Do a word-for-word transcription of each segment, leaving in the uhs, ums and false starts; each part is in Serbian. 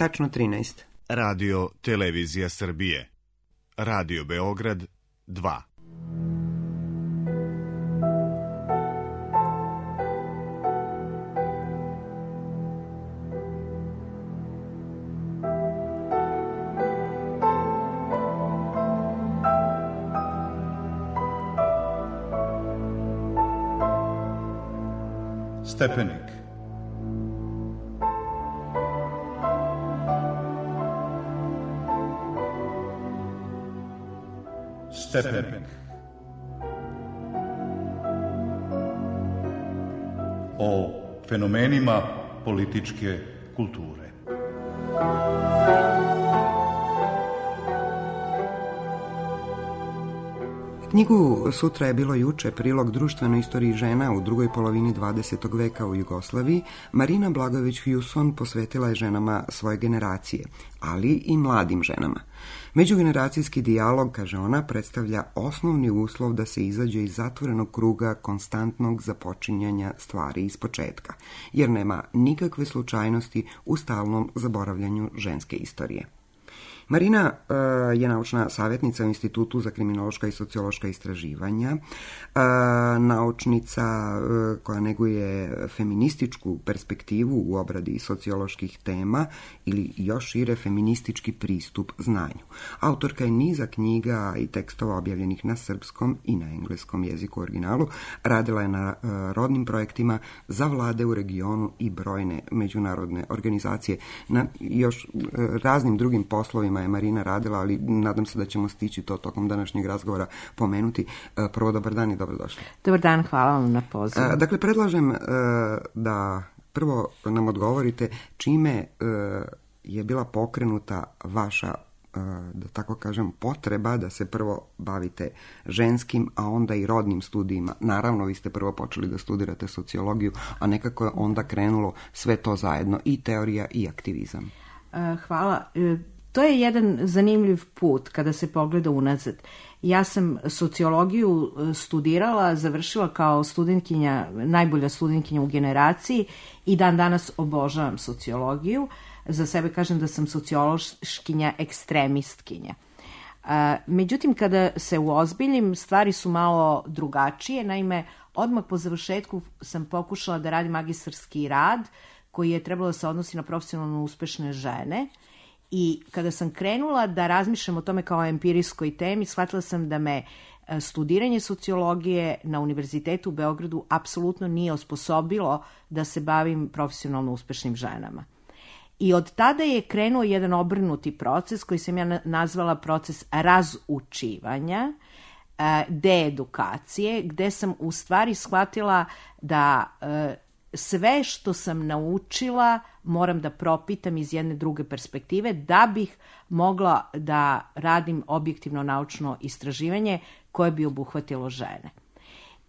Tačno trinaest. Radio Televizija Srbije. Radio Beograd dva. Stepenik. Stepenik. O fenomenima političke kulture. Knjigu Sutra je bilo juče, prilog društvenoj istoriji žena u drugoj polovini dvadesetog veka u Jugoslaviji, Marina Blagojević-Hjuson posvetila je ženama svoje generacije, ali i mladim ženama. Međugeneracijski dijalog, kaže ona, predstavlja osnovni uslov da se izađe iz zatvorenog kruga konstantnog započinjanja stvari iz početka, jer nema nikakve slučajnosti u stalnom zaboravljanju ženske istorije. Marina uh, je naučna savjetnica u Institutu za kriminološka i sociološka istraživanja, uh, naučnica uh, koja neguje feminističku perspektivu u obradi socioloških tema ili još šire feministički pristup znanju. Autorka je niza knjiga i tekstova objavljenih na srpskom i na engleskom jeziku u originalu, radila je na uh, rodnim projektima za vlade u regionu i brojne međunarodne organizacije. Na još uh, raznim drugim poslovima je Marina radila, ali nadam se da ćemo stići to tokom današnjeg razgovora pomenuti. Prvo, dobar dan i dobrodošli. Dobar dan, hvala vam na pozivu. Dakle, predlažem da prvo nam odgovorite čime je bila pokrenuta vaša, da tako kažem, potreba da se prvo bavite ženskim, a onda i rodnim studijima. Naravno, vi ste prvo počeli da studirate sociologiju, a nekako je onda krenulo sve to zajedno, i teorija i aktivizam. Hvala. To je jedan zanimljiv put kada se pogleda unazad. Ja sam sociologiju studirala, završila kao studentkinja, najbolja studentkinja u generaciji i dan danas obožavam sociologiju. Za sebe kažem da sam sociološkinja ekstremistkinja. Međutim, kada se uozbiljim, stvari su malo drugačije. Naime, odmah po završetku sam pokušala da radim magistarski rad koji je trebalo da se odnosi na profesionalno uspešne žene. I kada sam krenula da razmišljam o tome kao o empirijskoj temi, shvatila sam da me studiranje sociologije na Univerzitetu u Beogradu apsolutno nije osposobilo da se bavim profesionalno uspešnim ženama. I od tada je krenuo jedan obrnuti proces koji sam ja nazvala proces razučivanja, deedukacije, gde sam u stvari shvatila da sve što sam naučila moram da propitam iz jedne druge perspektive da bih mogla da radim objektivno naučno istraživanje koje bi obuhvatilo žene.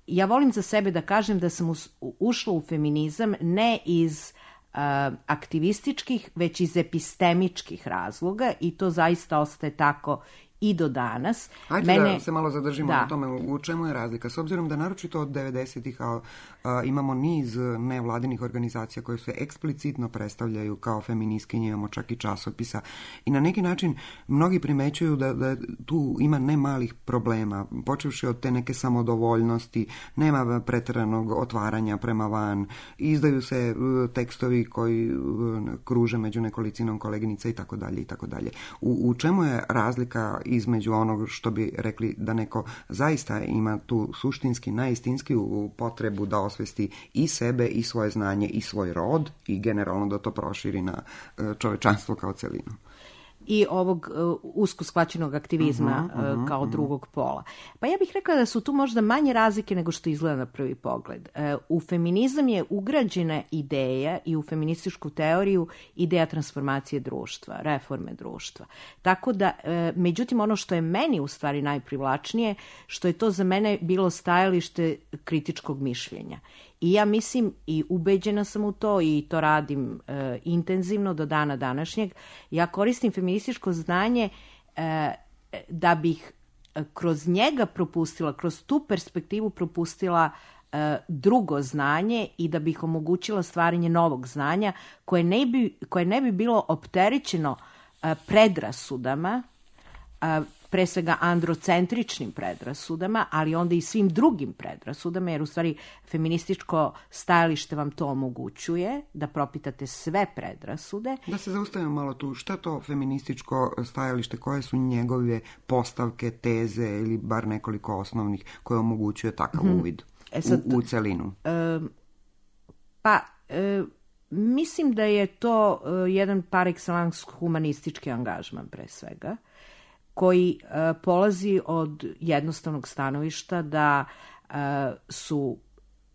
Ja volim za sebe da kažem da sam ušla u feminizam ne iz uh, aktivističkih, već iz epistemičkih razloga i to zaista ostaje tako i do danas. Hajde Mene... da se malo zadržimo da. na tome u čemu je razlika. S obzirom da naročito od devedesetih a, a, imamo niz nevladinih organizacija koje se eksplicitno predstavljaju kao feministkinje, imamo čak i časopisa i na neki način mnogi primećuju da, da tu ima ne malih problema, počevši od te neke samodovoljnosti, nema pretjeranog otvaranja prema van, izdaju se uh, tekstovi koji uh, kruže među nekolicinom koleginica i tako dalje i tako dalje. U, u čemu je razlika između onog što bi rekli da neko zaista ima tu suštinski, najistinski potrebu da osvesti i sebe i svoje znanje i svoj rod i generalno da to proširi na čovečanstvo kao celinu? I ovog uh, usko shvaćenog aktivizma uh, uh, uh, kao uh. drugog pola. Pa ja bih rekla da su tu možda manje razlike nego što izgleda na prvi pogled. Uh, u feminizam je ugrađena ideja i u feminističku teoriju ideja transformacije društva, reforme društva. Tako da, uh, međutim, ono što je meni u stvari najprivlačnije, što je to za mene bilo stajalište kritičkog mišljenja. I ja mislim i ubeđena sam u to i to radim e, intenzivno do dana današnjeg. Ja koristim feminističko znanje e, da bih kroz njega propustila, kroz tu perspektivu propustila drugo znanje i da bi ih omogućila stvaranje novog znanja koje ne bi, koje ne bi bilo opterećeno predrasudama, pre svega androcentričnim predrasudama, ali onda i svim drugim predrasudama, jer u stvari feminističko stajalište vam to omogućuje, da propitate sve predrasude. Da se zaustavimo malo tu, šta to feminističko stajalište, koje su njegove postavke, teze ili bar nekoliko osnovnih koje omogućuje takav uvid e sad, u, u celinu? E, pa, e, mislim da je to e, jedan par excellence humanistički angažman pre svega, koji e, polazi od jednostavnog stanovišta da e, su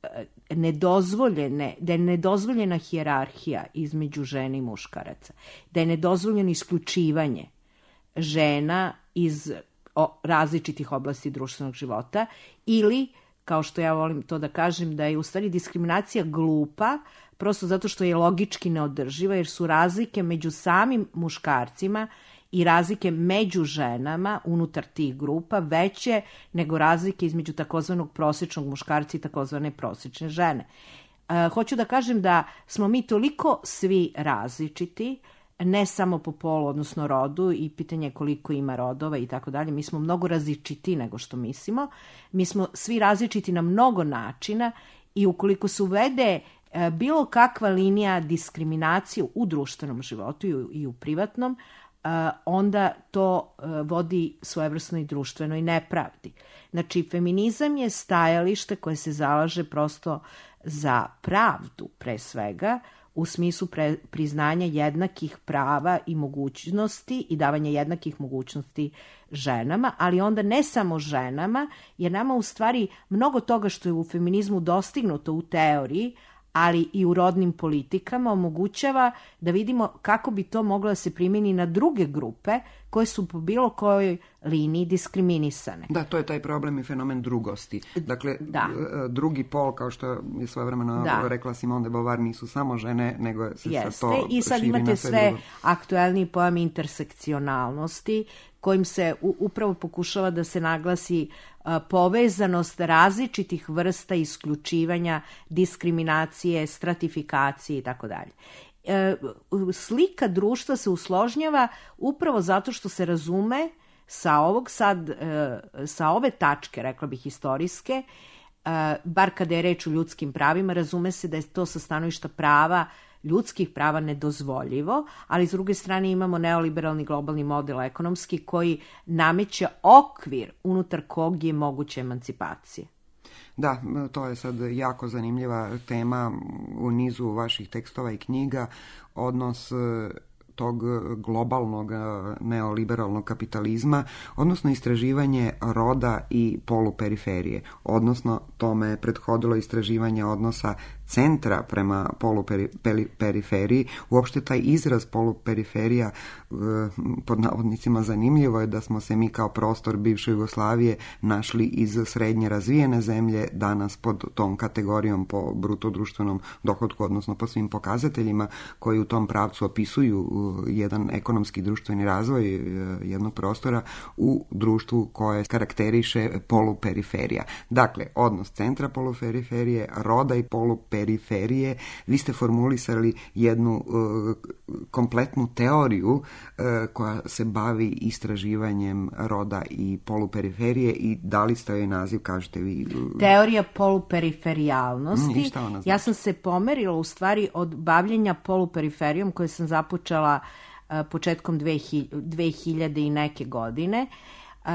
e, nedozvoljene, da je nedozvoljena hijerarhija između žena i muškaraca, da je nedozvoljeno isključivanje žena iz o, različitih oblasti društvenog života ili, kao što ja volim to da kažem, da je u stvari diskriminacija glupa, prosto zato što je logički neodrživa, jer su razlike među samim muškarcima i razlike među ženama unutar tih grupa veće nego razlike između takozvanog prosječnog muškarca i takozvane prosječne žene. E, hoću da kažem da smo mi toliko svi različiti, ne samo po polu, odnosno rodu, i pitanje koliko ima rodova i tako dalje. Mi smo mnogo različiti nego što mislimo. Mi smo svi različiti na mnogo načina i ukoliko se uvede e, bilo kakva linija diskriminacije u društvenom životu i u, i u privatnom, Uh, onda to uh, vodi svojevrsnoj društvenoj nepravdi. Znači, feminizam je stajalište koje se zalaže prosto za pravdu, pre svega, u smislu pre, priznanja jednakih prava i mogućnosti i davanja jednakih mogućnosti ženama, ali onda ne samo ženama, jer nama u stvari mnogo toga što je u feminizmu dostignuto u teoriji, ali i u rodnim politikama, omogućava da vidimo kako bi to moglo da se primjeni na druge grupe koje su po bilo kojoj liniji diskriminisane. Da, to je taj problem i fenomen drugosti. Dakle, da. drugi pol, kao što je svojevremeno da. rekla Simone de Beauvoir, nisu samo žene, nego se Jeste. sa to I sad širi imate na sve sve drugo. aktuelniji pojam intersekcionalnosti, kojim se u, upravo pokušava da se naglasi a, povezanost različitih vrsta isključivanja, diskriminacije, stratifikacije i tako dalje. Slika društva se usložnjava upravo zato što se razume sa ovog sad, sa ove tačke, rekla bih istorijske, bar kada je reč o ljudskim pravima, razume se da je to sa stanovišta prava, ljudskih prava nedozvoljivo, ali s druge strane imamo neoliberalni globalni model ekonomski koji nameće okvir unutar kog je moguća emancipacija. Da, to je sad jako zanimljiva tema u nizu vaših tekstova i knjiga, odnos tog globalnog neoliberalnog kapitalizma, odnosno istraživanje roda i poluperiferije, odnosno tome je prethodilo istraživanje odnosa centra prema poluperiferiji. Uopšte taj izraz poluperiferija, pod navodnicima zanimljivo je da smo se mi kao prostor bivše Jugoslavije našli iz srednje razvijene zemlje, danas pod tom kategorijom po bruto društvenom dohodku, odnosno po svim pokazateljima koji u tom pravcu opisuju jedan ekonomski društveni razvoj jednog prostora u društvu koje karakteriše poluperiferija. Dakle, odnos centra poluperiferije, roda i poluperiferije, periferije, vi ste formulisali jednu uh, kompletnu teoriju uh, koja se bavi istraživanjem roda i poluperiferije i dali ste joj naziv, kažete vi... Uh... Teorija poluperiferjalnosti. Mm, šta ona znači? Ja sam se pomerila u stvari od bavljenja poluperiferijom koje sam započela uh, početkom dve hiljade i neke godine. Uh,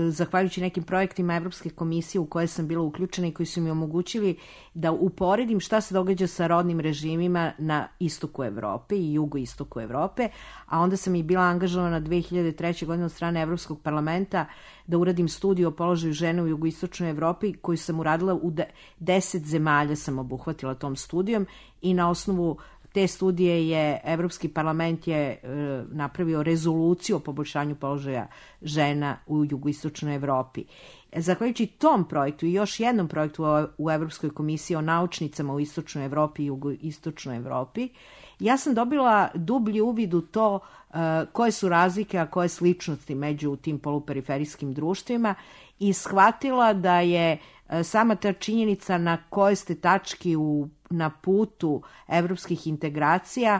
zahvaljujući nekim projektima Evropske komisije u koje sam bila uključena i koji su mi omogućili da uporedim šta se događa sa rodnim režimima na istoku Evrope i jugoistoku Evrope, a onda sam i bila angažovana dve hiljade treće. godine od strane Evropskog parlamenta da uradim studiju o položaju žene u jugoistočnoj Evropi koju sam uradila u deset zemalja, sam obuhvatila tom studijom i na osnovu te studije je Evropski parlament je e, napravio rezoluciju o poboljšanju položaja žena u jugoistočnoj Evropi. Zahvaljujući tom projektu i još jednom projektu u Evropskoj komisiji o naučnicama u istočnoj Evropi i jugoistočnoj Evropi, ja sam dobila dublji uvid u to uh, koje su razlike, a koje sličnosti među tim poluperiferijskim društvima i shvatila da je sama ta činjenica na kojoj ste tački u, na putu evropskih integracija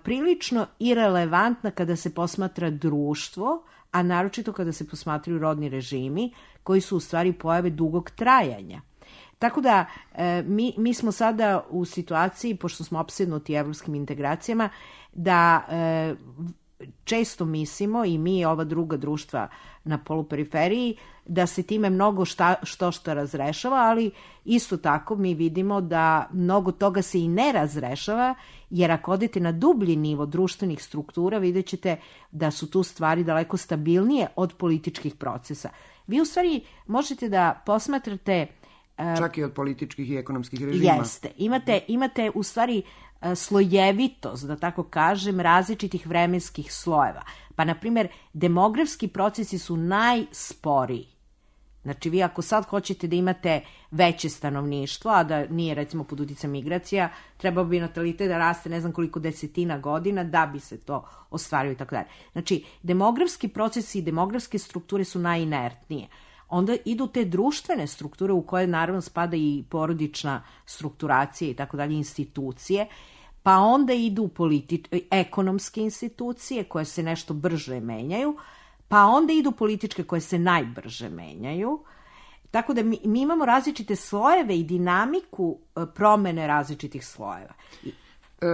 prilično irelevantna kada se posmatra društvo, a naročito kada se posmatraju rodni režimi koji su u stvari pojave dugog trajanja. Tako da mi, mi smo sada u situaciji, pošto smo opsednuti evropskim integracijama, da često mislimo, i mi i ova druga društva na poluperiferiji, da se time mnogo šta, što što razrešava, ali isto tako mi vidimo da mnogo toga se i ne razrešava, jer ako odete na dublji nivo društvenih struktura, vidjet ćete da su tu stvari daleko stabilnije od političkih procesa. Vi u stvari možete da posmatrate... Čak i od političkih i ekonomskih režima. Jeste. Imate, imate u stvari slojevitost, da tako kažem, različitih vremenskih slojeva. Pa, na primjer, demografski procesi su najsporiji. Znači, vi ako sad hoćete da imate veće stanovništvo, a da nije, recimo, pod uticajem migracija, trebao bi natalitet da raste ne znam koliko desetina godina da bi se to ostvario i tako dalje. Znači, demografski procesi i demografske strukture su najinertnije. Onda idu te društvene strukture u koje naravno spada i porodična strukturacija i tako dalje, institucije, pa onda idu politi- ekonomske institucije koje se nešto brže menjaju, pa onda idu političke koje se najbrže menjaju. Tako da mi, mi imamo različite slojeve i dinamiku promene različitih slojeva. E,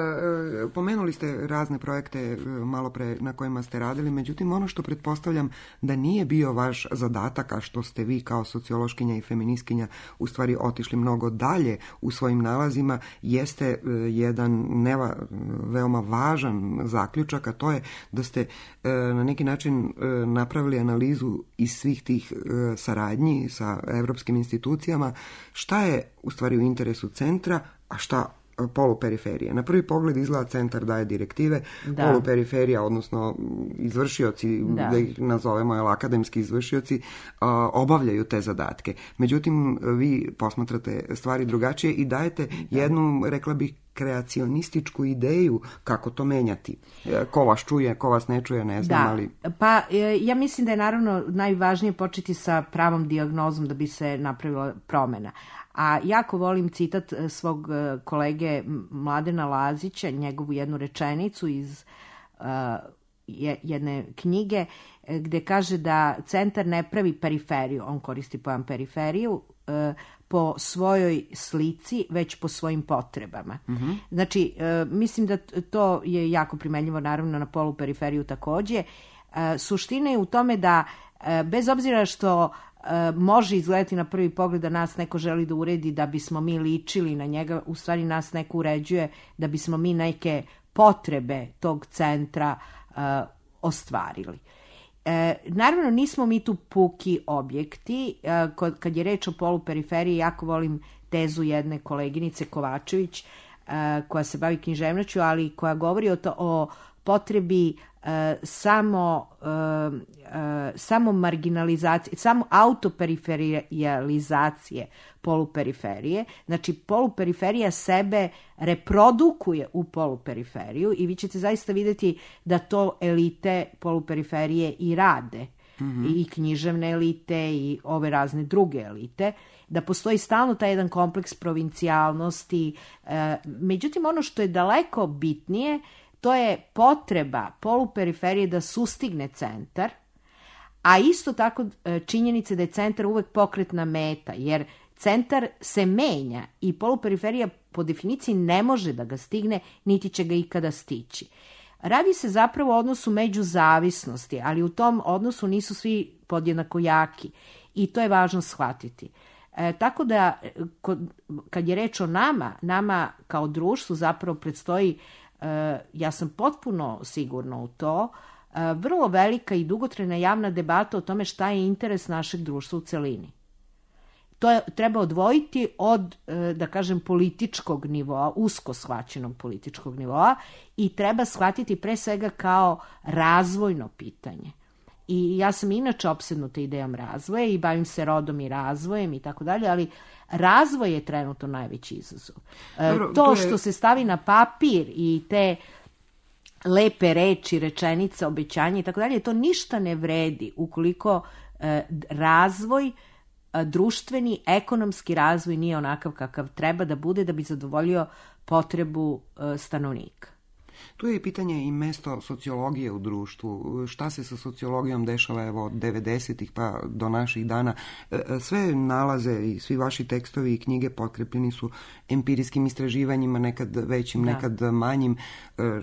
pomenuli ste razne projekte malo pre na kojima ste radili, međutim ono što pretpostavljam da nije bio vaš zadatak, a što ste vi kao sociološkinja i feministkinja u stvari otišli mnogo dalje u svojim nalazima, jeste jedan neva, veoma važan zaključak, a to je da ste e, na neki način e, napravili analizu iz svih tih e, saradnji sa evropskim institucijama, šta je u stvari u interesu centra, a šta poluperiferije. Na prvi pogled izgleda centar daje direktive, da. Poluperiferija, odnosno izvršioci, da, da ih nazovemo jel, akademski izvršioci, a, obavljaju te zadatke. Međutim, vi posmatrate stvari drugačije i dajete da. jednu, rekla bih, kreacionističku ideju kako to menjati. Ko vas čuje, ko vas ne čuje, ne znam, da. ali... Pa ja mislim da je naravno najvažnije početi sa pravom dijagnozom da bi se napravila promena. A jako volim citat svog kolege Mladena Lazića, njegovu jednu rečenicu iz uh, jedne knjige, gde kaže da centar ne pravi periferiju, on koristi pojam periferiju, uh, po svojoj slici, već po svojim potrebama. Mm-hmm. Znači, uh, mislim da to je jako primenljivo naravno na poluperiferiju takođe. Uh, suština je u tome da, uh, bez obzira što E, može izgledati na prvi pogled da nas neko želi da uredi da bismo mi ličili na njega, u stvari nas neko uređuje da bismo mi neke potrebe tog centra e, ostvarili. E, naravno nismo mi tu puki objekti, e, kad je reč o poluperiferiji jako volim tezu jedne koleginice Kovačević e, koja se bavi književnošću, ali koja govori o, to, o potrebi E, samo e, e, samo marginalizacije, samo autoperiferijalizacije poluperiferije. Znači, poluperiferija sebe reprodukuje u poluperiferiju i vi ćete zaista vidjeti da to elite poluperiferije i rade. Mm-hmm. I književne elite i ove razne druge elite, da postoji stalno taj jedan kompleks provincijalnosti. E, međutim, ono što je daleko bitnije, to je potreba poluperiferije da sustigne centar, a isto tako činjenica da je centar uvek pokretna meta, jer centar se menja i poluperiferija po definiciji ne može da ga stigne, niti će ga ikada stići. Radi se zapravo o odnosu međuzavisnosti, ali u tom odnosu nisu svi podjednako jaki i to je važno shvatiti. E, tako da, kod, kad je reč o nama, nama kao društvu zapravo predstoji, ja sam potpuno sigurna u to, vrlo velika i dugotrajna javna debata o tome šta je interes našeg društva u celini. To je, treba odvojiti od, da kažem, političkog nivoa, usko shvaćenog političkog nivoa i treba shvatiti pre svega kao razvojno pitanje. I ja sam inače opsednuta idejom razvoja i bavim se rodom i razvojem i tako dalje, ali razvoj je trenutno najveći izazov. Dobro, to je... što se stavi na papir i te lepe reči, rečenice, obećanja i tako dalje, to ništa ne vredi ukoliko razvoj, društveni, ekonomski razvoj nije onakav kakav treba da bude da bi zadovoljio potrebu stanovnika. Tu je i pitanje i mesto sociologije u društvu. Šta se sa sociologijom dešava evo od devedesetih pa do naših dana? Sve nalaze i svi vaši tekstovi i knjige potkrepljeni su empirijskim istraživanjima, nekad većim, da. nekad manjim.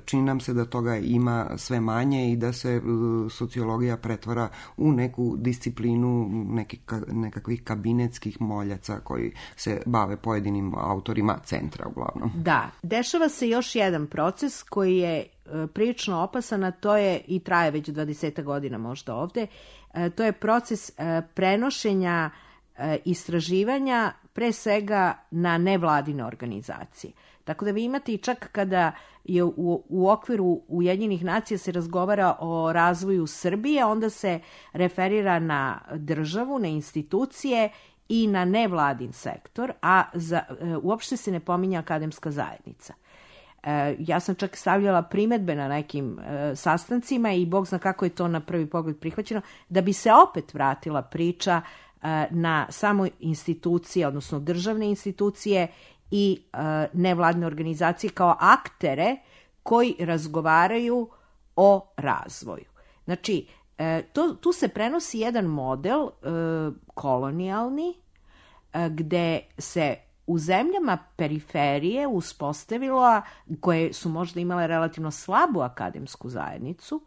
Čini nam se da toga ima sve manje i da se sociologija pretvara u neku disciplinu neki, nekakvih kabinetskih moljaca koji se bave pojedinim autorima centra uglavnom. Da, dešava se još jedan proces koji je prilično opasan, a to je i traje već dvadeset godina možda ovde, to je proces prenošenja istraživanja pre svega na nevladine organizacije. Tako da vi imate i čak kada je u, u okviru Ujedinjenih nacija se razgovara o razvoju Srbije, onda se referira na državu, na institucije i na nevladin sektor, a za, uopšte se ne pominja akademska zajednica. Ja sam čak stavljala primedbe na nekim e, sastancima i Bog zna kako je to na prvi pogled prihvaćeno, da bi se opet vratila priča e, na samo institucije, odnosno državne institucije i e, nevladne organizacije kao aktere koji razgovaraju o razvoju. Znači, e, to, tu se prenosi jedan model e, kolonijalni e, gde se u zemljama periferije uspostavilo, koje su možda imale relativno slabu akademsku zajednicu,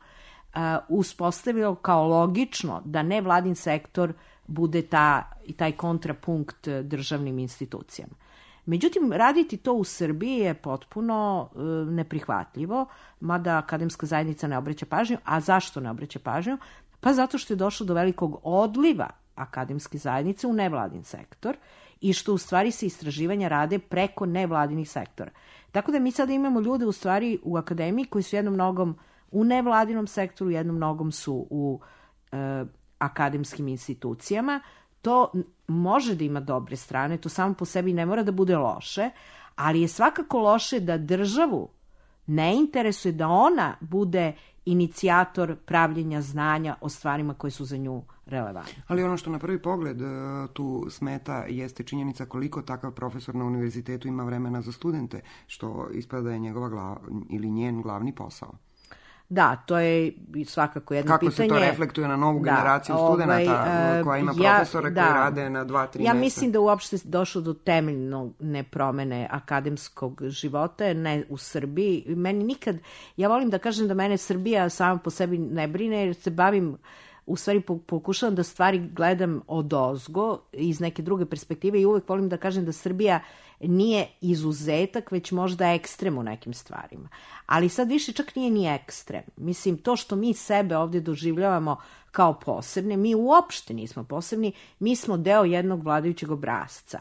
uspostavilo kao logično da nevladin sektor bude ta, taj kontrapunkt državnim institucijama. Međutim, raditi to u Srbiji je potpuno e, neprihvatljivo, mada akademska zajednica ne obraća pažnju. A zašto ne obraća pažnju? Pa zato što je došlo do velikog odliva akademske zajednice u nevladin sektor i što u stvari se istraživanja rade preko nevladinih sektora. Tako da mi sada imamo ljude u stvari u akademiji koji su jednom nogom u nevladinom sektoru, jednom nogom su u e, akademskim institucijama. To može da ima dobre strane, to samo po sebi ne mora da bude loše, ali je svakako loše da državu ne interesuje da ona bude inicijator pravljenja znanja o stvarima koje su za nju relevantne. Ali ono što na prvi pogled tu smeta jeste činjenica koliko takav profesor na univerzitetu ima vremena za studente, što ispada da je njegova glav, ili njen glavni posao. Da, to je svakako jedno Kako pitanje. Kako se to reflektuje na novu da, generaciju studenta ovaj, koja ima ja, profesore da, koji rade na dva, tri ja mesta? Ja mislim da uopšte došlo do temeljne promene akademskog života, ne u Srbiji. Meni nikad, ja volim da kažem da mene Srbija sama po sebi ne brine, jer se bavim, u stvari pokušavam da stvari gledam odozgo iz neke druge perspektive i uvek volim da kažem da Srbija nije izuzetak, već možda ekstrem u nekim stvarima. Ali sad više čak nije ni ekstrem. Mislim, to što mi sebe ovdje doživljavamo kao posebne, mi uopšte nismo posebni, mi smo deo jednog vladajućeg obrasca.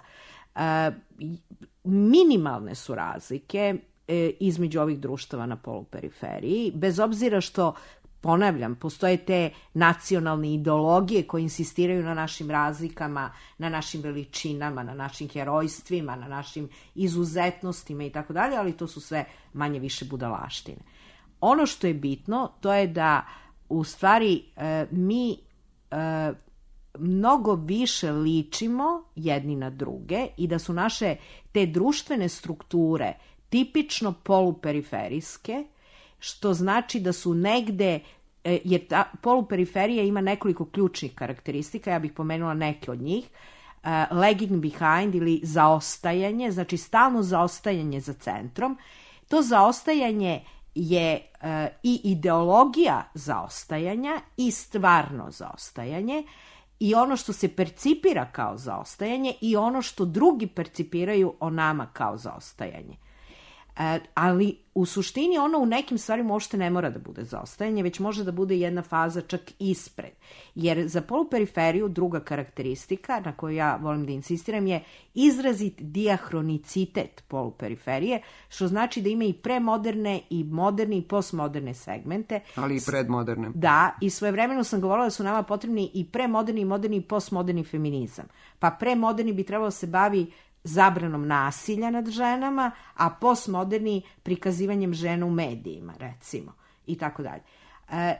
E, minimalne su razlike e, između ovih društava na poluperiferiji, bez obzira što, ponavljam, postoje te nacionalne ideologije koje insistiraju na našim razlikama, na našim veličinama, na našim herojstvima, na našim izuzetnostima i tako dalje, ali to su sve manje više budalaštine. Ono što je bitno, to je da u stvari e, mi e, mnogo više ličimo jedni na druge i da su naše te društvene strukture tipično poluperiferijske, što znači da su negde, jer ta poluperiferija ima nekoliko ključnih karakteristika, ja bih pomenula neke od njih, uh, lagging behind ili zaostajanje, znači stalno zaostajanje za centrom. To zaostajanje je uh, i ideologija zaostajanja i stvarno zaostajanje i ono što se percipira kao zaostajanje i ono što drugi percipiraju o nama kao zaostajanje. E, ali u suštini ono u nekim stvarima uopšte ne mora da bude zaostajanje, već može da bude jedna faza čak ispred. Jer za poluperiferiju druga karakteristika na koju ja volim da insistiram je izrazit diahronicitet poluperiferije, što znači da ima i premoderne i moderne i postmoderne segmente. Ali i predmoderne. Da, i svojevremeno sam govorila da su nama potrebni i premoderni i moderni i postmoderni feminizam. Pa premoderni bi trebalo se bavi zabranom nasilja nad ženama, a postmoderni prikazivanjem žena u medijima, recimo, i tako dalje.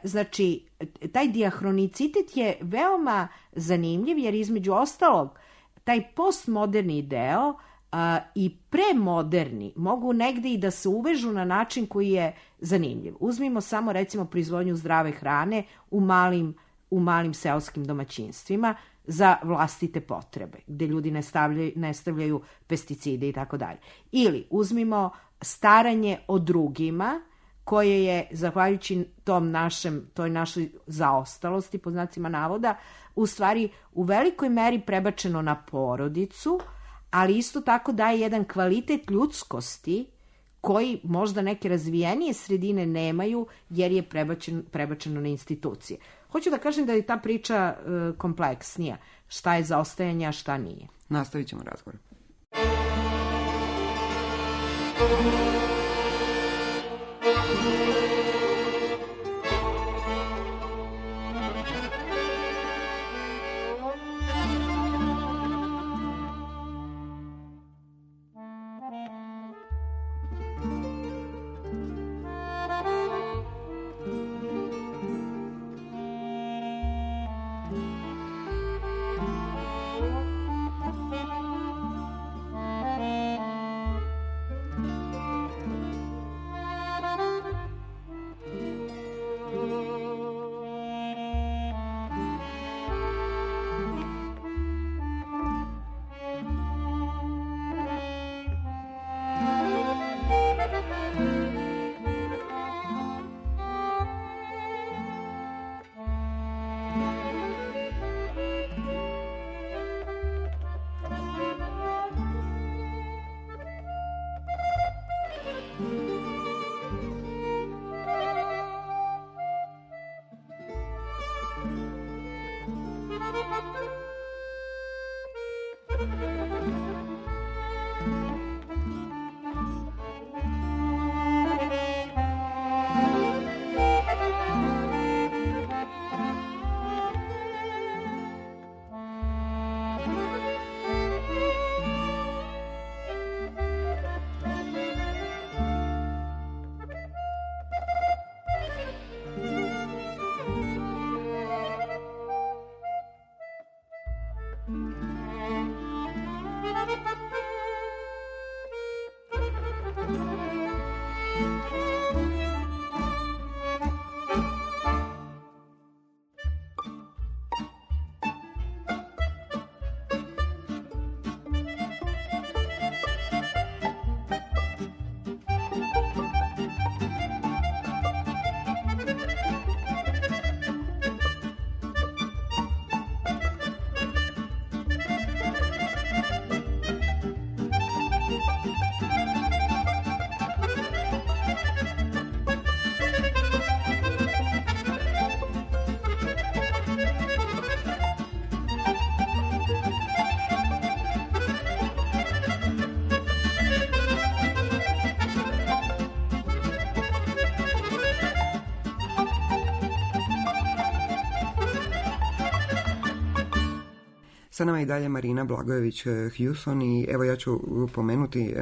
Znači, taj dijahronicitet je veoma zanimljiv, jer između ostalog, taj postmoderni deo a, i premoderni mogu negde i da se uvežu na način koji je zanimljiv. Uzmimo samo, recimo, proizvodnju zdrave hrane u malim, u malim seoskim domaćinstvima za vlastite potrebe, gde ljudi ne stavljaju, ne stavljaju pesticide i tako dalje. Ili uzmimo staranje o drugima, koje je, zahvaljujući tom našem, toj našoj zaostalosti, po znacima navoda, u stvari u velikoj meri prebačeno na porodicu, ali isto tako daje jedan kvalitet ljudskosti koji možda neke razvijenije sredine nemaju, jer je prebačen, prebačeno na institucije. Hoću da kažem da je ta priča e, kompleksnija. Šta je zaostajanje, a šta nije. Nastavit ćemo razgovor. Sa nama je i dalje Marina Blagojević-Hewson i evo ja ću pomenuti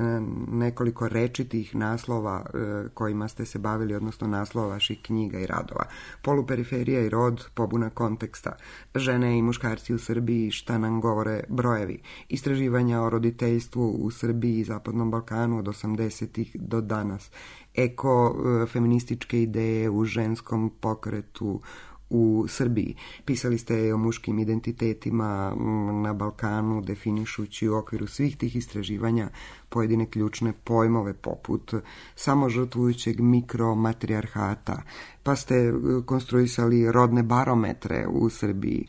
nekoliko rečitih naslova kojima ste se bavili, odnosno naslova vaših knjiga i radova. Poluperiferija i rod, pobuna konteksta, žene i muškarci u Srbiji, šta nam govore brojevi, istraživanja o roditeljstvu u Srbiji i Zapadnom Balkanu od osamdesetih do danas, ekofeminističke ideje u ženskom pokretu u Srbiji. Pisali ste o muškim identitetima na Balkanu, definišući u okviru svih tih istraživanja pojedine ključne pojmove poput samožrtvujućeg mikromatrijarhata, pa ste konstruisali rodne barometre u Srbiji,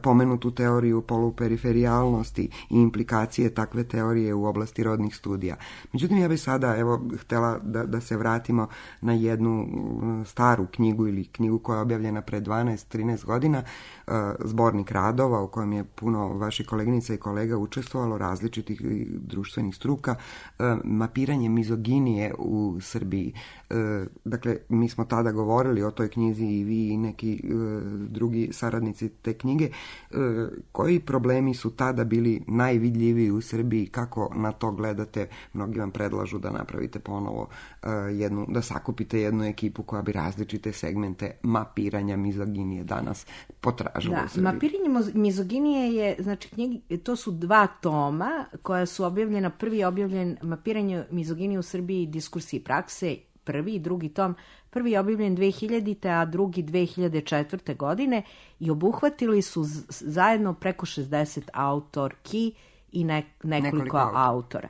pomenutu teoriju poluperiferijalnosti i implikacije takve teorije u oblasti rodnih studija. Međutim, ja bih sada evo htela da, da se vratimo na jednu staru knjigu ili knjigu koja je objavljena pre dvanaest trinaest godina zbornik radova u kojem je puno vaših koleginica i kolega učestvovalo, različitih društvenih struka, mapiranje mizoginije u Srbiji. Dakle, mi smo tada govorili o toj knjizi i vi i neki drugi saradnici te knjige. Koji problemi su tada bili najvidljiviji u Srbiji, kako na to gledate? Mnogi vam predlažu da napravite ponovo jednu, da sakupite jednu ekipu koja bi različite segmente mapiranja mizoginije danas potražila da, u Srbiji. Mapiranje mizoginije je, znači, knjigi, to su dva toma koja su objavljena. Prvi je objavljen Mapiranje mizoginije u Srbiji, diskursi i prakse, prvi i drugi tom. Prvi je objavljen dve hiljadite. a drugi dve hiljade četvrte. godine i obuhvatili su zajedno preko šezdeset autorki i ne, nekoliko, nekoliko autora.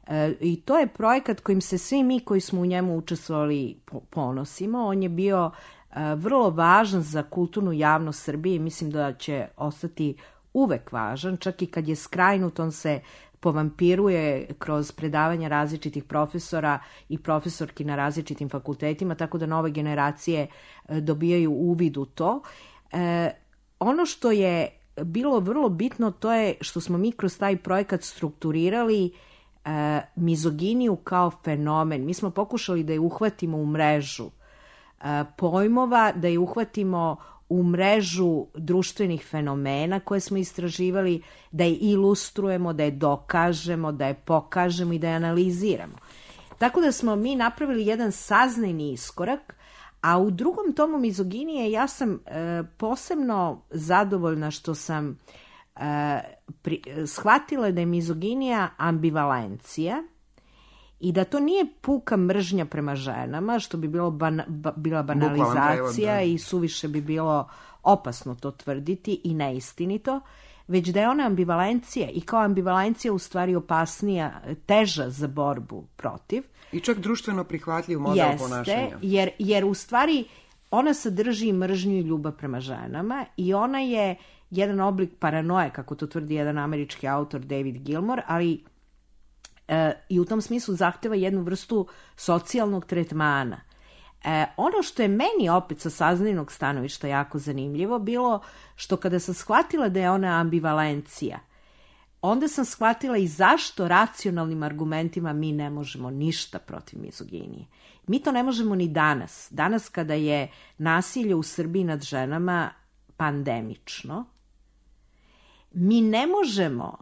E, I to je projekat kojim se svi mi koji smo u njemu učestvovali ponosimo. On je bio e, vrlo važan za kulturnu javnost Srbije i mislim da će ostati uvek važan. Čak i kad je skrajnut, on se povampiruje kroz predavanja različitih profesora i profesorki na različitim fakultetima, tako da nove generacije dobijaju uvid u to. E, ono što je bilo vrlo bitno, to je što smo mi kroz taj projekat strukturirali e, mizoginiju kao fenomen. Mi smo pokušali da je uhvatimo u mrežu e, pojmova, da je uhvatimo u mrežu društvenih fenomena koje smo istraživali, da je ilustrujemo, da je dokažemo, da je pokažemo i da je analiziramo. Tako da smo mi napravili jedan saznajni iskorak, a u drugom tomu mizoginije ja sam e, posebno zadovoljna što sam e, pri, shvatila da je mizoginija ambivalencija i da to nije puka mržnja prema ženama, što bi bilo bana, ba, bila banalizacija prevod, i suviše bi bilo opasno to tvrditi i neistinito, već da je ona ambivalencija i kao ambivalencija u stvari opasnija, teža za borbu protiv. I čak društveno prihvatljiv model Jeste, ponašanja. Jer, jer u stvari ona sadrži mržnju i ljubav prema ženama i ona je jedan oblik paranoje, kako to tvrdi jedan američki autor David Gilmour, ali e, i u tom smislu zahteva jednu vrstu socijalnog tretmana. E, ono što je meni opet sa saznajnog stanovišta jako zanimljivo bilo što kada sam shvatila da je ona ambivalencija, onda sam shvatila i zašto racionalnim argumentima mi ne možemo ništa protiv mizoginije. Mi to ne možemo ni danas. Danas kada je nasilje u Srbiji nad ženama pandemično, mi ne možemo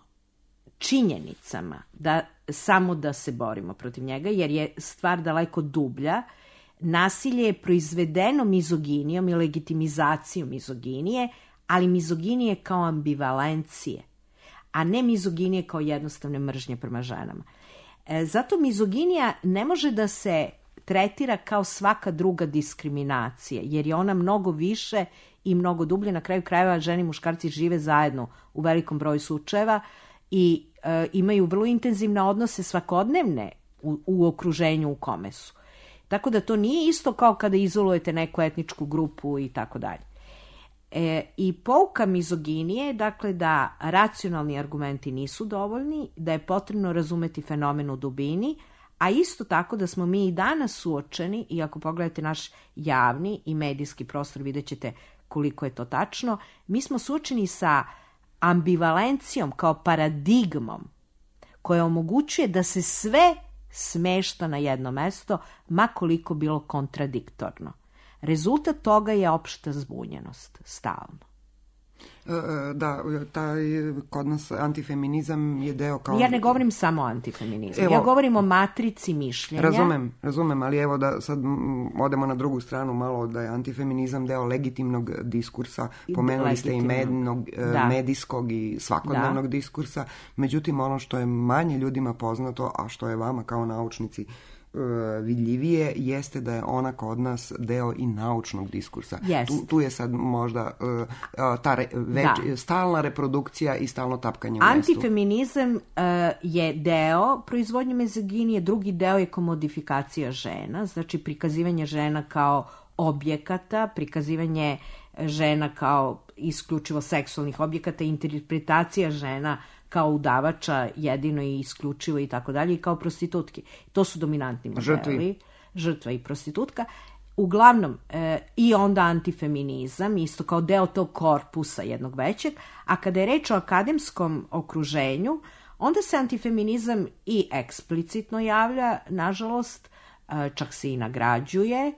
činjenicama da samo da se borimo protiv njega, jer je stvar daleko dublja. Nasilje je proizvedeno mizoginijom i legitimizacijom mizoginije, ali mizoginije kao ambivalencije, a ne mizoginije kao jednostavne mržnje prema ženama. E, zato mizoginija ne može da se tretira kao svaka druga diskriminacija, jer je ona mnogo više i mnogo dublje. Na kraju krajeva žene i muškarci žive zajedno u velikom broju slučajeva i e, imaju vrlo intenzivne odnose svakodnevne u, u okruženju u kome su. Tako da to nije isto kao kada izolujete neku etničku grupu i tako dalje. E, I pouka mizoginije je dakle da racionalni argumenti nisu dovoljni, da je potrebno razumeti fenomen u dubini, a isto tako da smo mi i danas suočeni, i ako pogledate naš javni i medijski prostor vidjet ćete koliko je to tačno, mi smo suočeni sa ambivalencijom kao paradigmom koja omogućuje da se sve smešta na jedno mesto, ma koliko bilo kontradiktorno. Rezultat toga je opšta zbunjenost, stalno. Da, taj kod nas antifeminizam je deo kao... Ja ne govorim samo o antifeminizmu, evo, ja govorim o matrici mišljenja. Razumem, razumem, ali evo da sad odemo na drugu stranu malo, da je antifeminizam deo legitimnog diskursa, pomenuli ste i mednog, da. medijskog i svakodnevnog da. diskursa, međutim ono što je manje ljudima poznato, a što je vama kao naučnici vidljivije, jeste da je ona kod nas deo i naučnog diskursa. Tu, tu je sad možda uh, ta re, već, da. stalna reprodukcija i stalno tapkanje u mestu. Antifeminizam uh, je deo proizvodnje mizoginije, drugi deo je komodifikacija žena, znači prikazivanje žena kao objekata, prikazivanje žena kao isključivo seksualnih objekata, interpretacija žena kao udavača jedino i isključivo i tako dalje, i kao prostitutki. To su dominantni modeli. Žrtvi. Žrtva i prostitutka. Uglavnom, e, i onda antifeminizam, isto kao deo tog korpusa jednog većeg, a kada je reč o akademskom okruženju, onda se antifeminizam i eksplicitno javlja, nažalost, čak se i nagrađuje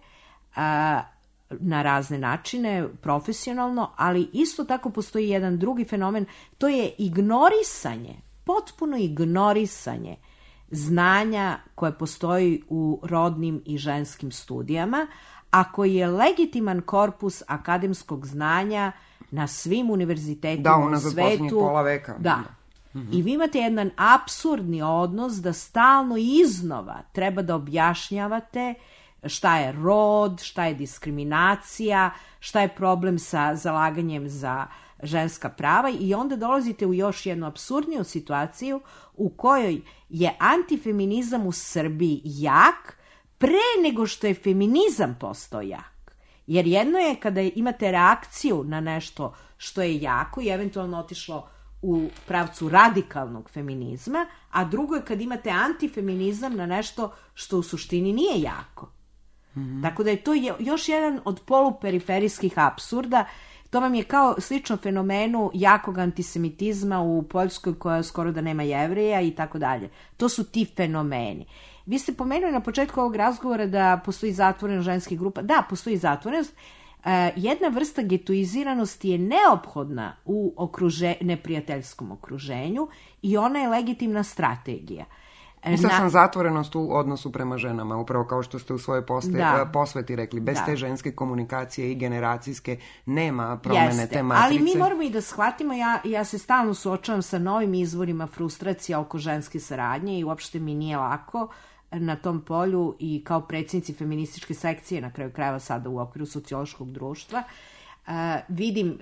na razne načine, profesionalno, ali isto tako postoji jedan drugi fenomen, to je ignorisanje, potpuno ignorisanje znanja koje postoji u rodnim i ženskim studijama, a koji je legitiman korpus akademskog znanja na svim univerzitetima da, u unazad svetu. poslednjih pola veka. Da. Mm-hmm. I vi imate jedan apsurdni odnos da stalno iznova treba da objašnjavate šta je rod, šta je diskriminacija, šta je problem sa zalaganjem za ženska prava i onda dolazite u još jednu apsurdniju situaciju u kojoj je antifeminizam u Srbiji jak pre nego što je feminizam postao jak. Jer jedno je kada imate reakciju na nešto što je jako i eventualno otišlo u pravcu radikalnog feminizma, a drugo je kad imate antifeminizam na nešto što u suštini nije jako. Mm-hmm. Tako da je to još jedan od poluperiferijskih apsurda. To vam je kao slično fenomenu jakog antisemitizma u Poljskoj koja skoro da nema Jevreja i tako dalje. To su ti fenomeni. Vi ste pomenuli na početku ovog razgovora da postoji zatvorenost ženskih grupa. Da, postoji zatvorenost. E, jedna vrsta getoiziranosti je neophodna u okruže, neprijateljskom okruženju i ona je legitimna strategija. Mislila na... sam zatvorenost u odnosu prema ženama, upravo kao što ste u svojoj poste, da. posveti rekli. Bez da. te ženske komunikacije i generacijske nema promene te matrice. Ali mi moramo i da shvatimo, ja, ja se stalno suočavam sa novim izvorima frustracija oko ženske saradnje i uopšte mi nije lako na tom polju i kao predsjednici feminističke sekcije, na kraju krajeva sada u okviru sociološkog društva, uh, vidim uh,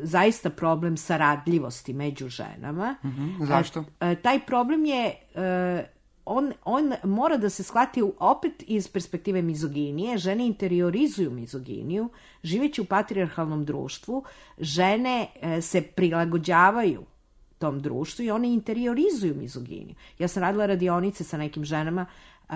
zaista problem saradljivosti među ženama. Mm-hmm. Zašto? Uh, taj problem je, uh, on, on mora da se shvati opet iz perspektive mizoginije. Žene interiorizuju mizoginiju, živeći u patrijarhalnom društvu, žene uh, se prilagođavaju tom društvu i one interiorizuju mizoginiju. Ja sam radila radionice sa nekim ženama uh,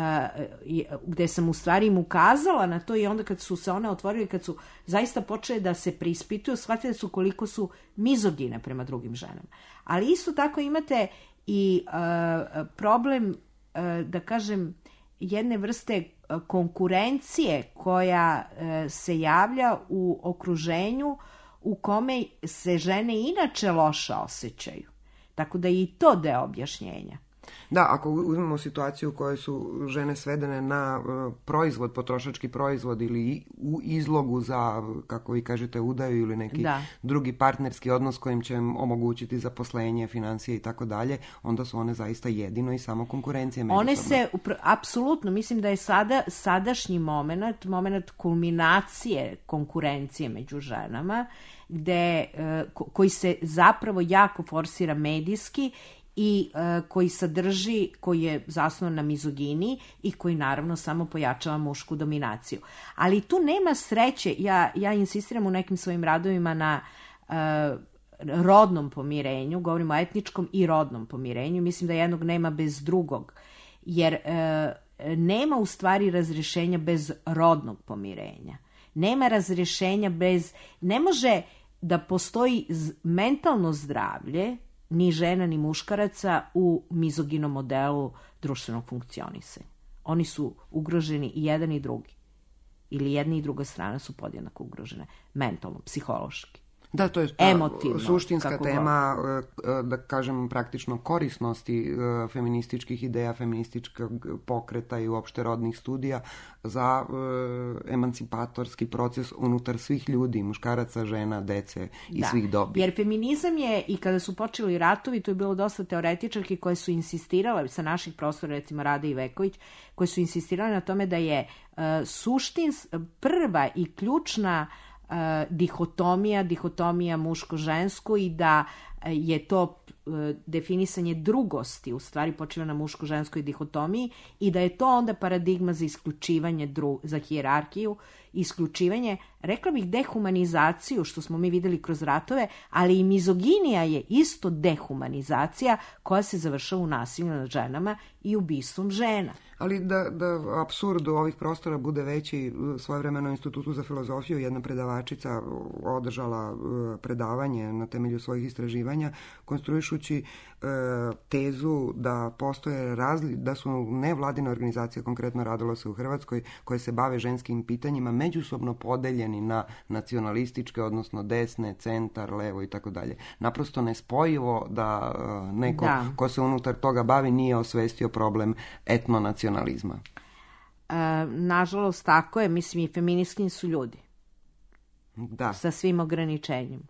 gde sam u stvari im ukazala na to i onda kad su se one otvorile, kad su zaista počele da se preispituju, shvatile su koliko su mizogine prema drugim ženama. Ali isto tako imate i uh, problem, uh, da kažem, jedne vrste konkurencije koja uh, se javlja u okruženju u kome se žene inače loše osjećaju. Tako da je i to deo objašnjenja. Da, ako uzmemo situaciju u kojoj su žene svedene na uh, proizvod, potrošački proizvod ili u izlogu za, kako vi kažete, udaju ili neki da. drugi partnerski odnos kojim će im omogućiti zaposlenje, financije i tako dalje, onda su one zaista jedino i samo konkurencije međusobno. One se, apsolutno, mislim da je sada sadašnji moment, moment kulminacije konkurencije među ženama, gde, uh, koji se zapravo jako forsira medijski i uh, koji sadrži, koji je zasnovan na mizoginiji i koji naravno samo pojačava mušku dominaciju. Ali tu nema sreće, ja, ja insistiram u nekim svojim radovima na uh, rodnom pomirenju, govorimo o etničkom i rodnom pomirenju, mislim da jednog nema bez drugog, jer uh, nema u stvari razrješenja bez rodnog pomirenja. Nema razrješenja bez, ne može da postoji z, mentalno zdravlje ni žena ni muškaraca u mizoginom modelu društvenog funkcionisanja. Oni su ugroženi i jedan i drugi. Ili jedna i druga strana su podjednako ugrožene. Mentalno, psihološki. Da, to je emotivno, suštinska tema, da kažem, praktično korisnosti feminističkih ideja, feminističkog pokreta i uopšte rodnih studija za emancipatorski proces unutar svih ljudi, muškaraca, žena, dece i da, svih dobi. Jer feminizam je, i kada su počeli ratovi, to je bilo dosta teoretičarki koje su insistirale sa naših prostora, recimo Rada Iveković, koje su insistirale na tome da je uh, suštins, prva i ključna Uh, dihotomija, dihotomija muško-žensko i da uh, je to uh, definisanje drugosti u stvari počiva na muško-ženskoj dihotomiji i da je to onda paradigma za isključivanje, dru- za hijerarhiju isključivanje, rekla bih dehumanizaciju, što smo mi videli kroz ratove, ali i mizoginija je isto dehumanizacija koja se završava u nasilju nad ženama i ubistvom žena. Ali da, da apsurd ovih prostora bude veći, svojevremeno Institutu za filozofiju jedna predavačica održala predavanje na temelju svojih istraživanja, konstruišući e, tezu da postoje razli, da su nevladine organizacije, konkretno radilo se u Hrvatskoj, koje se bave ženskim pitanjima, međusobno podeljeni na nacionalističke, odnosno desne, centar, levo i tako dalje. Naprosto nespojivo da neko da. ko se unutar toga bavi nije osvestio problem etnonacionalizma. E, nažalost, tako je. Mislim, i feministkinje su ljudi. Da. Sa svim ograničenjem.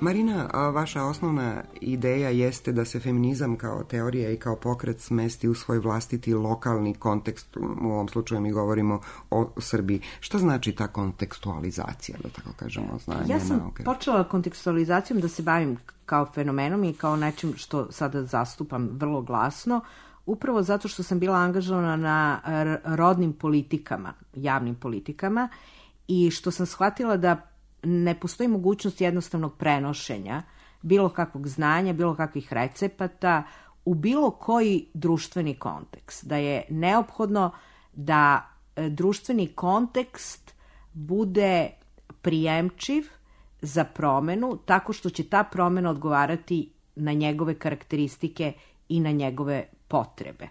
Marina, a vaša osnovna ideja jeste da se feminizam kao teorija i kao pokret smesti u svoj vlastiti lokalni kontekst. U ovom slučaju mi govorimo o Srbiji. Šta znači ta kontekstualizacija, da tako kažemo, znanja? Ja sam nauke? počela kontekstualizacijom da se bavim kao fenomenom i kao nečim što sada zastupam vrlo glasno, upravo zato što sam bila angažovana na rodnim politikama, javnim politikama, i što sam shvatila da ne postoji mogućnost jednostavnog prenošenja bilo kakvog znanja, bilo kakvih recepata u bilo koji društveni kontekst. Da je neophodno da društveni kontekst bude prijemčiv za promenu, tako što će ta promena odgovarati na njegove karakteristike i na njegove potrebe.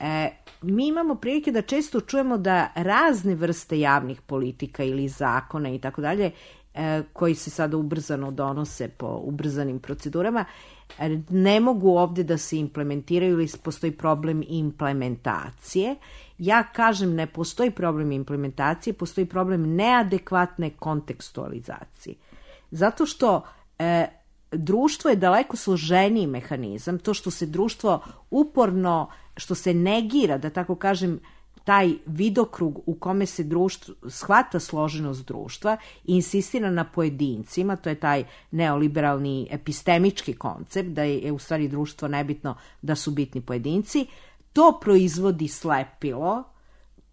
E, mi imamo prilike da često čujemo da razne vrste javnih politika ili zakona i tako dalje, koji se sada ubrzano donose po ubrzanim procedurama, ne mogu ovde da se implementiraju ili postoji problem implementacije. Ja kažem, ne postoji problem implementacije, postoji problem neadekvatne kontekstualizacije. Zato što e, društvo je daleko složeniji mehanizam, to što se društvo uporno, što se negira, da tako kažem, taj vidokrug u kome se društvo, shvata složenost društva i insistira na pojedincima, to je taj neoliberalni epistemički koncept, da je u stvari društvo nebitno, da su bitni pojedinci, to proizvodi slepilo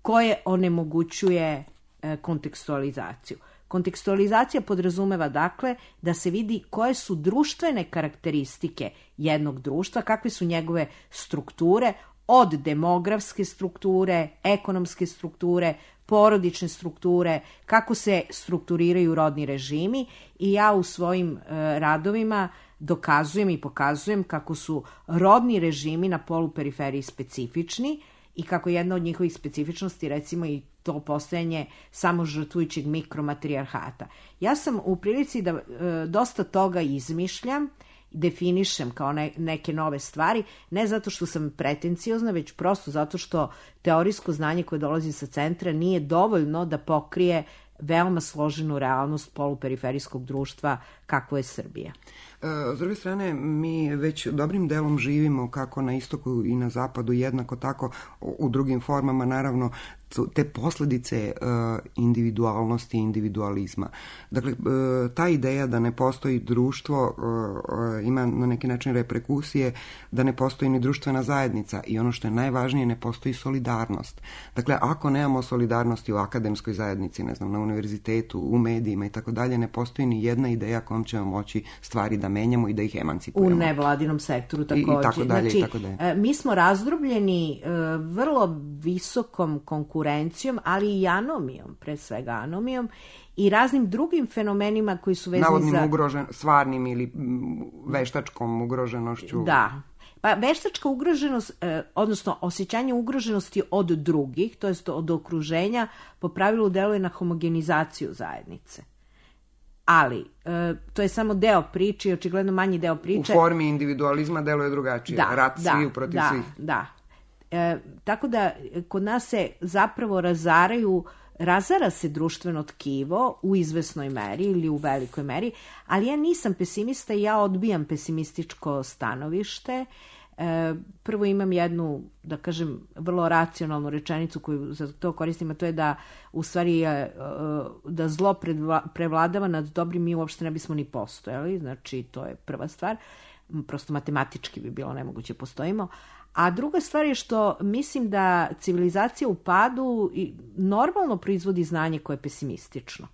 koje onemogućuje e, kontekstualizaciju. Kontekstualizacija podrazumeva dakle da se vidi koje su društvene karakteristike jednog društva, kakve su njegove strukture, od demografske strukture, ekonomske strukture, porodične strukture, kako se strukturiraju rodni režimi, i ja u svojim e, radovima dokazujem i pokazujem kako su rodni režimi na poluperiferiji specifični i kako jedna od njihovih specifičnosti, recimo, i to postojanje samožrtvujućeg mikromatrijarhata. Ja sam u prilici da e, dosta toga izmišljam, definišem kao ne, neke nove stvari, ne zato što sam pretenciozna, već prosto zato što teorijsko znanje koje dolazi sa centra nije dovoljno da pokrije veoma složenu realnost poluperiferijskog društva kakvo je Srbija. S druge strane, mi već dobrim delom živimo kako na istoku i na zapadu, jednako tako u drugim formama, naravno, te posljedice individualnosti i individualizma. Dakle, ta ideja da ne postoji društvo ima na neki način reperkusije, da ne postoji ni društvena zajednica i ono što je najvažnije, ne postoji solidarnost. Dakle, ako nemamo solidarnosti u akademskoj zajednici, ne znam, na univerzitetu, u medijima i tako dalje, ne postoji ni jedna ideja kojom ćemo moći stvari da menjamo i da ih emancipujemo. U nevladinom sektoru također. I, i tako dalje, znači, i tako dalje. Mi smo razdrobljeni vrlo visokom konkurencijom, ali i anomijom, pre svega anomijom, i raznim drugim fenomenima koji su vezani navodnim za... ugrožen, stvarnim ili veštačkom ugroženošću. Da. Pa veštačka ugroženost, odnosno osjećanje ugroženosti od drugih, to jest od okruženja, po pravilu deluje na homogenizaciju zajednice. Ali, to je samo deo priče i očigledno manji deo priče. U formi individualizma deluje drugačije. Da, rat da, sviju protiv da, svih. Da, e, tako da kod nas se zapravo razaraju, razara se društveno tkivo u izvesnoj meri ili u velikoj meri, ali ja nisam pesimista i ja odbijam pesimističko stanovište. E, prvo imam jednu, da kažem, vrlo racionalnu rečenicu koju za to koristim, a to je da u stvari je, da zlo prevladava nad dobrim, mi uopšte ne bismo ni postojali, znači to je prva stvar, prosto matematički bi bilo nemoguće postojimo. A druga stvar je što mislim da civilizacija u padu normalno proizvodi znanje koje je pesimistično.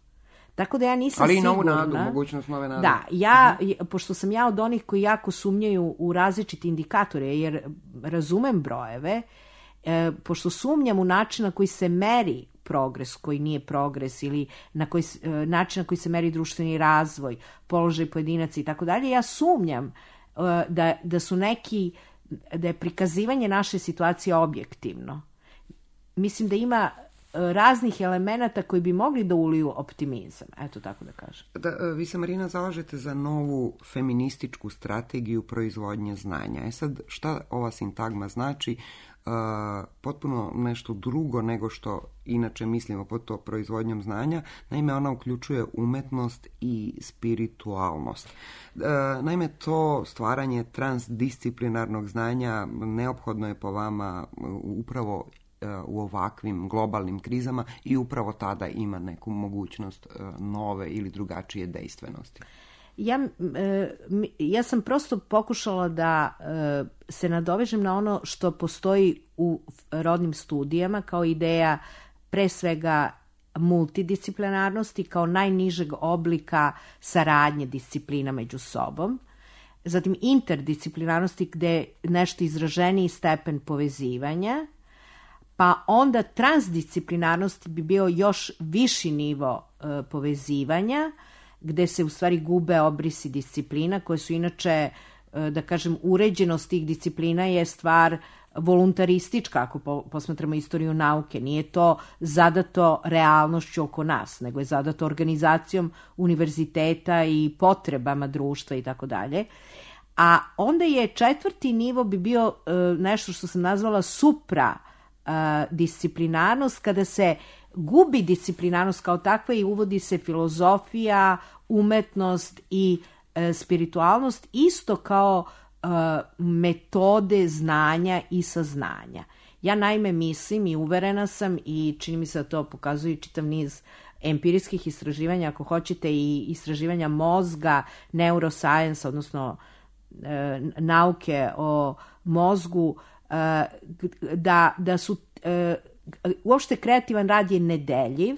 Tako da ja nisam ali sigurna... Ali i novu nadu, mogućnost nove nade. Da, ja, mm-hmm. pošto sam ja od onih koji jako sumnjaju u različite indikatore, jer razumem brojeve, e, pošto sumnjam u način na koji se meri progres, koji nije progres, ili na koji, e, način na koji se meri društveni razvoj, položaj pojedinaca i tako dalje, ja sumnjam e, da, da su neki, da je prikazivanje naše situacije objektivno. Mislim da ima raznih elemenata koji bi mogli da uliju optimizam, eto tako da kažem. Da, vi se, Marina, zalažete za novu feminističku strategiju proizvodnje znanja. E sad, šta ova sintagma znači? Uh, potpuno nešto drugo nego što inače mislimo pod to proizvodnjom znanja. Naime, ona uključuje umetnost i spiritualnost. Uh, naime, to stvaranje transdisciplinarnog znanja neophodno je po vama upravo u ovakvim globalnim krizama i upravo tada ima neku mogućnost nove ili drugačije dejstvenosti. Ja, ja sam prosto pokušala da se nadovežem na ono što postoji u rodnim studijama kao ideja pre svega multidisciplinarnosti kao najnižeg oblika saradnje disciplina među sobom. Zatim interdisciplinarnosti gde nešto izraženiji stepen povezivanja, pa onda transdisciplinarnost bi bio još viši nivo e, povezivanja, gde se u stvari gube obrisi disciplina, koje su inače, e, da kažem, uređenost tih disciplina je stvar voluntaristička, ako po, posmatramo istoriju nauke. Nije to zadato realnošću oko nas, nego je zadato organizacijom univerziteta i potrebama društva i tako dalje. A onda je četvrti nivo bi bio e, nešto što sam nazvala supra disciplinarnost, kada se gubi disciplinarnost kao takva i uvodi se filozofija, umetnost i e, spiritualnost isto kao e, metode znanja i saznanja. Ja naime mislim i uverena sam, i čini mi se da to pokazuje čitav niz empirijskih istraživanja, ako hoćete i istraživanja mozga, neuroscience, odnosno e, nauke o mozgu, e, da, da su e, uopšte kreativan rad je nedeljiv,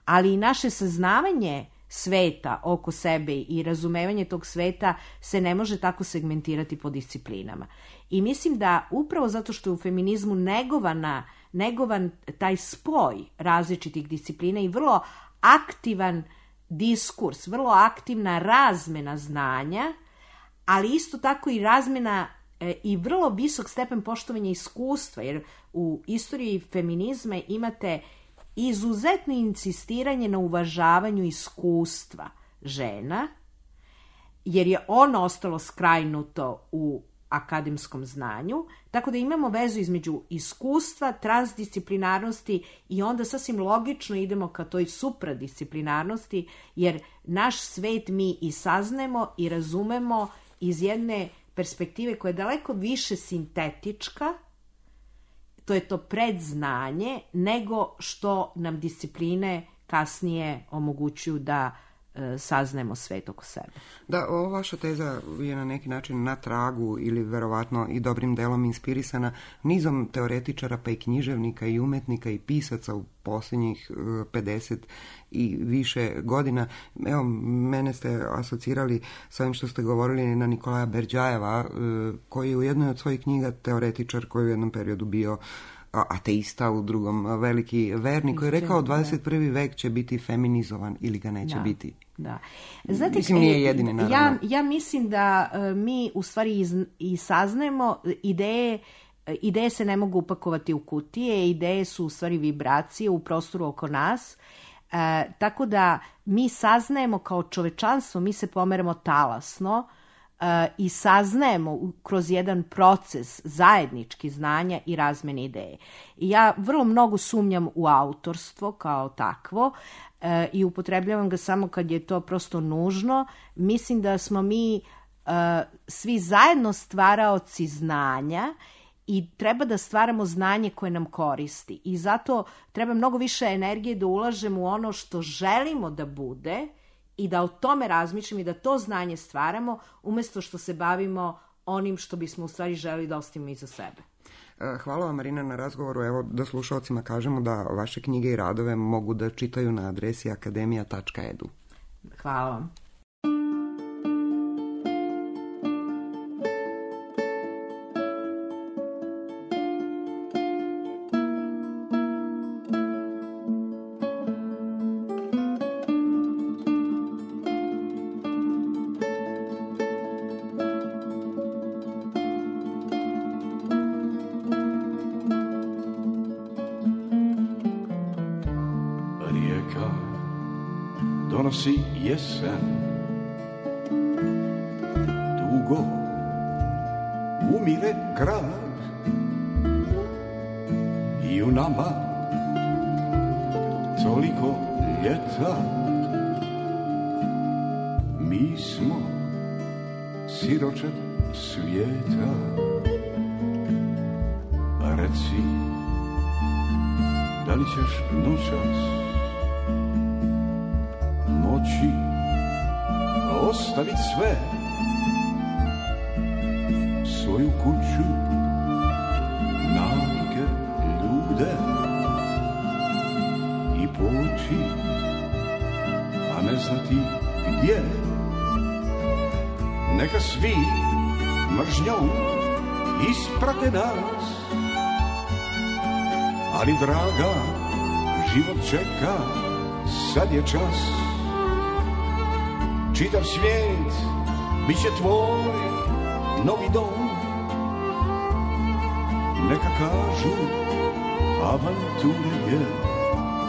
ali i naše saznavanje sveta oko sebe i razumevanje tog sveta se ne može tako segmentirati po disciplinama. I mislim da upravo zato što je u feminizmu negovana, negovan taj spoj različitih disciplina i vrlo aktivan diskurs, vrlo aktivna razmena znanja, ali isto tako i razmena e, i vrlo visok stepen poštovanja iskustva, jer u istoriji feminizma imate izuzetno insistiranje na uvažavanju iskustva žena, jer je ono ostalo skrajnuto u akademskom znanju, tako da imamo vezu između iskustva, transdisciplinarnosti i onda sasvim logično idemo ka toj supradisciplinarnosti, jer naš svet mi i saznemo i razumemo iz jedne perspektive koja je daleko više sintetička, to je to predznanje, nego što nam discipline kasnije omogućuju da e, saznajemo svet oko sebe. Da, ova vaša teza je na neki način na tragu ili verovatno i dobrim delom inspirisana nizom teoretičara, pa i književnika i umetnika i pisaca u posljednjih pedeset i više godina. Evo, mene ste asocirali s ovim što ste govorili na Nikolaja Berdjajeva, koji je u jednoj od svojih knjiga teoretičar koji je u jednom periodu bio ateista, u drugom veliki vernik, koji je rekao dvadeset prvi vek će biti feminizovan ili ga neće da, biti. Da. Znate, mislim, nije jedini, naravno. Ja, ja mislim da uh, mi u stvari iz, i saznajemo ideje. Ideje se ne mogu upakovati u kutije, ideje su u stvari vibracije u prostoru oko nas, e, tako da mi saznajemo kao čovečanstvo, mi se pomeramo talasno e, i saznajemo kroz jedan proces zajednički znanja i razmene ideje. I ja vrlo mnogo sumnjam u autorstvo kao takvo e, i upotrebljavam ga samo kad je to prosto nužno. Mislim da smo mi e, svi zajedno stvaraoci znanja i treba da stvaramo znanje koje nam koristi. I zato treba mnogo više energije da ulažemo u ono što želimo da bude i da o tome razmišljamo i da to znanje stvaramo, umjesto što se bavimo onim što bismo u stvari želeli da ostavimo iza sebe. Hvala vam, Marina, na razgovoru. Evo, da slušalcima kažemo da vaše knjige i radove mogu da čitaju na adresi akademija tačka edu. Hvala vam. Donosi jesen, dugo umire grad i u nama toliko ljeta. Mi smo siročad svijeta. Reci, da li ćeš noćas moći ostavit sve, svoju kuću, navike, ljude i poći, a ne znati gdje. Neka svi mržnjom isprate nas, ali draga, život čeka, sad je čas. Čitav svijet bit će tvoj novi dom. Neka kažu, avanture je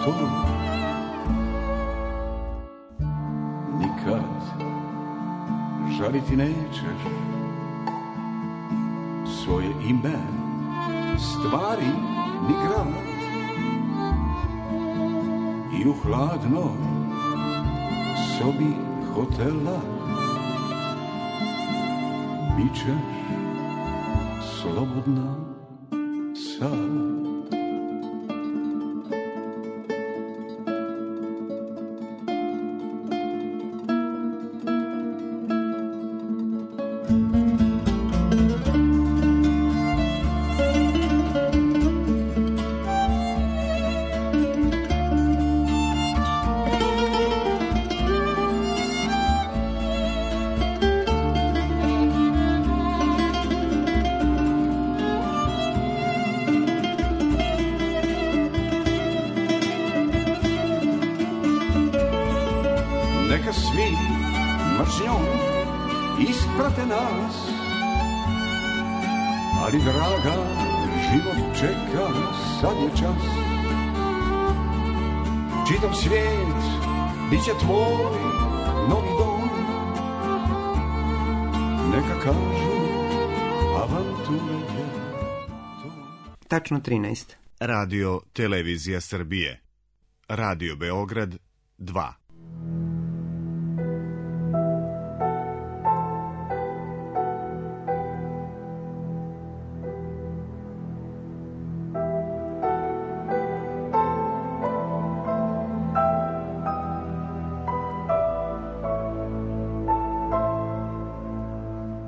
to. Nikad žaliti nećeš svoje ime, stvari ni grad. I u hladnoj sobi hotela bićeš slobodna sad. Neka svi mržnjom isprate nas, ali draga, život čeka, sad je čas. Čitav svijet bit će tvoj novi dom, neka kažu avanture je to. Tačno trinaest. Radio Televizija Srbije. Radio Beograd dva.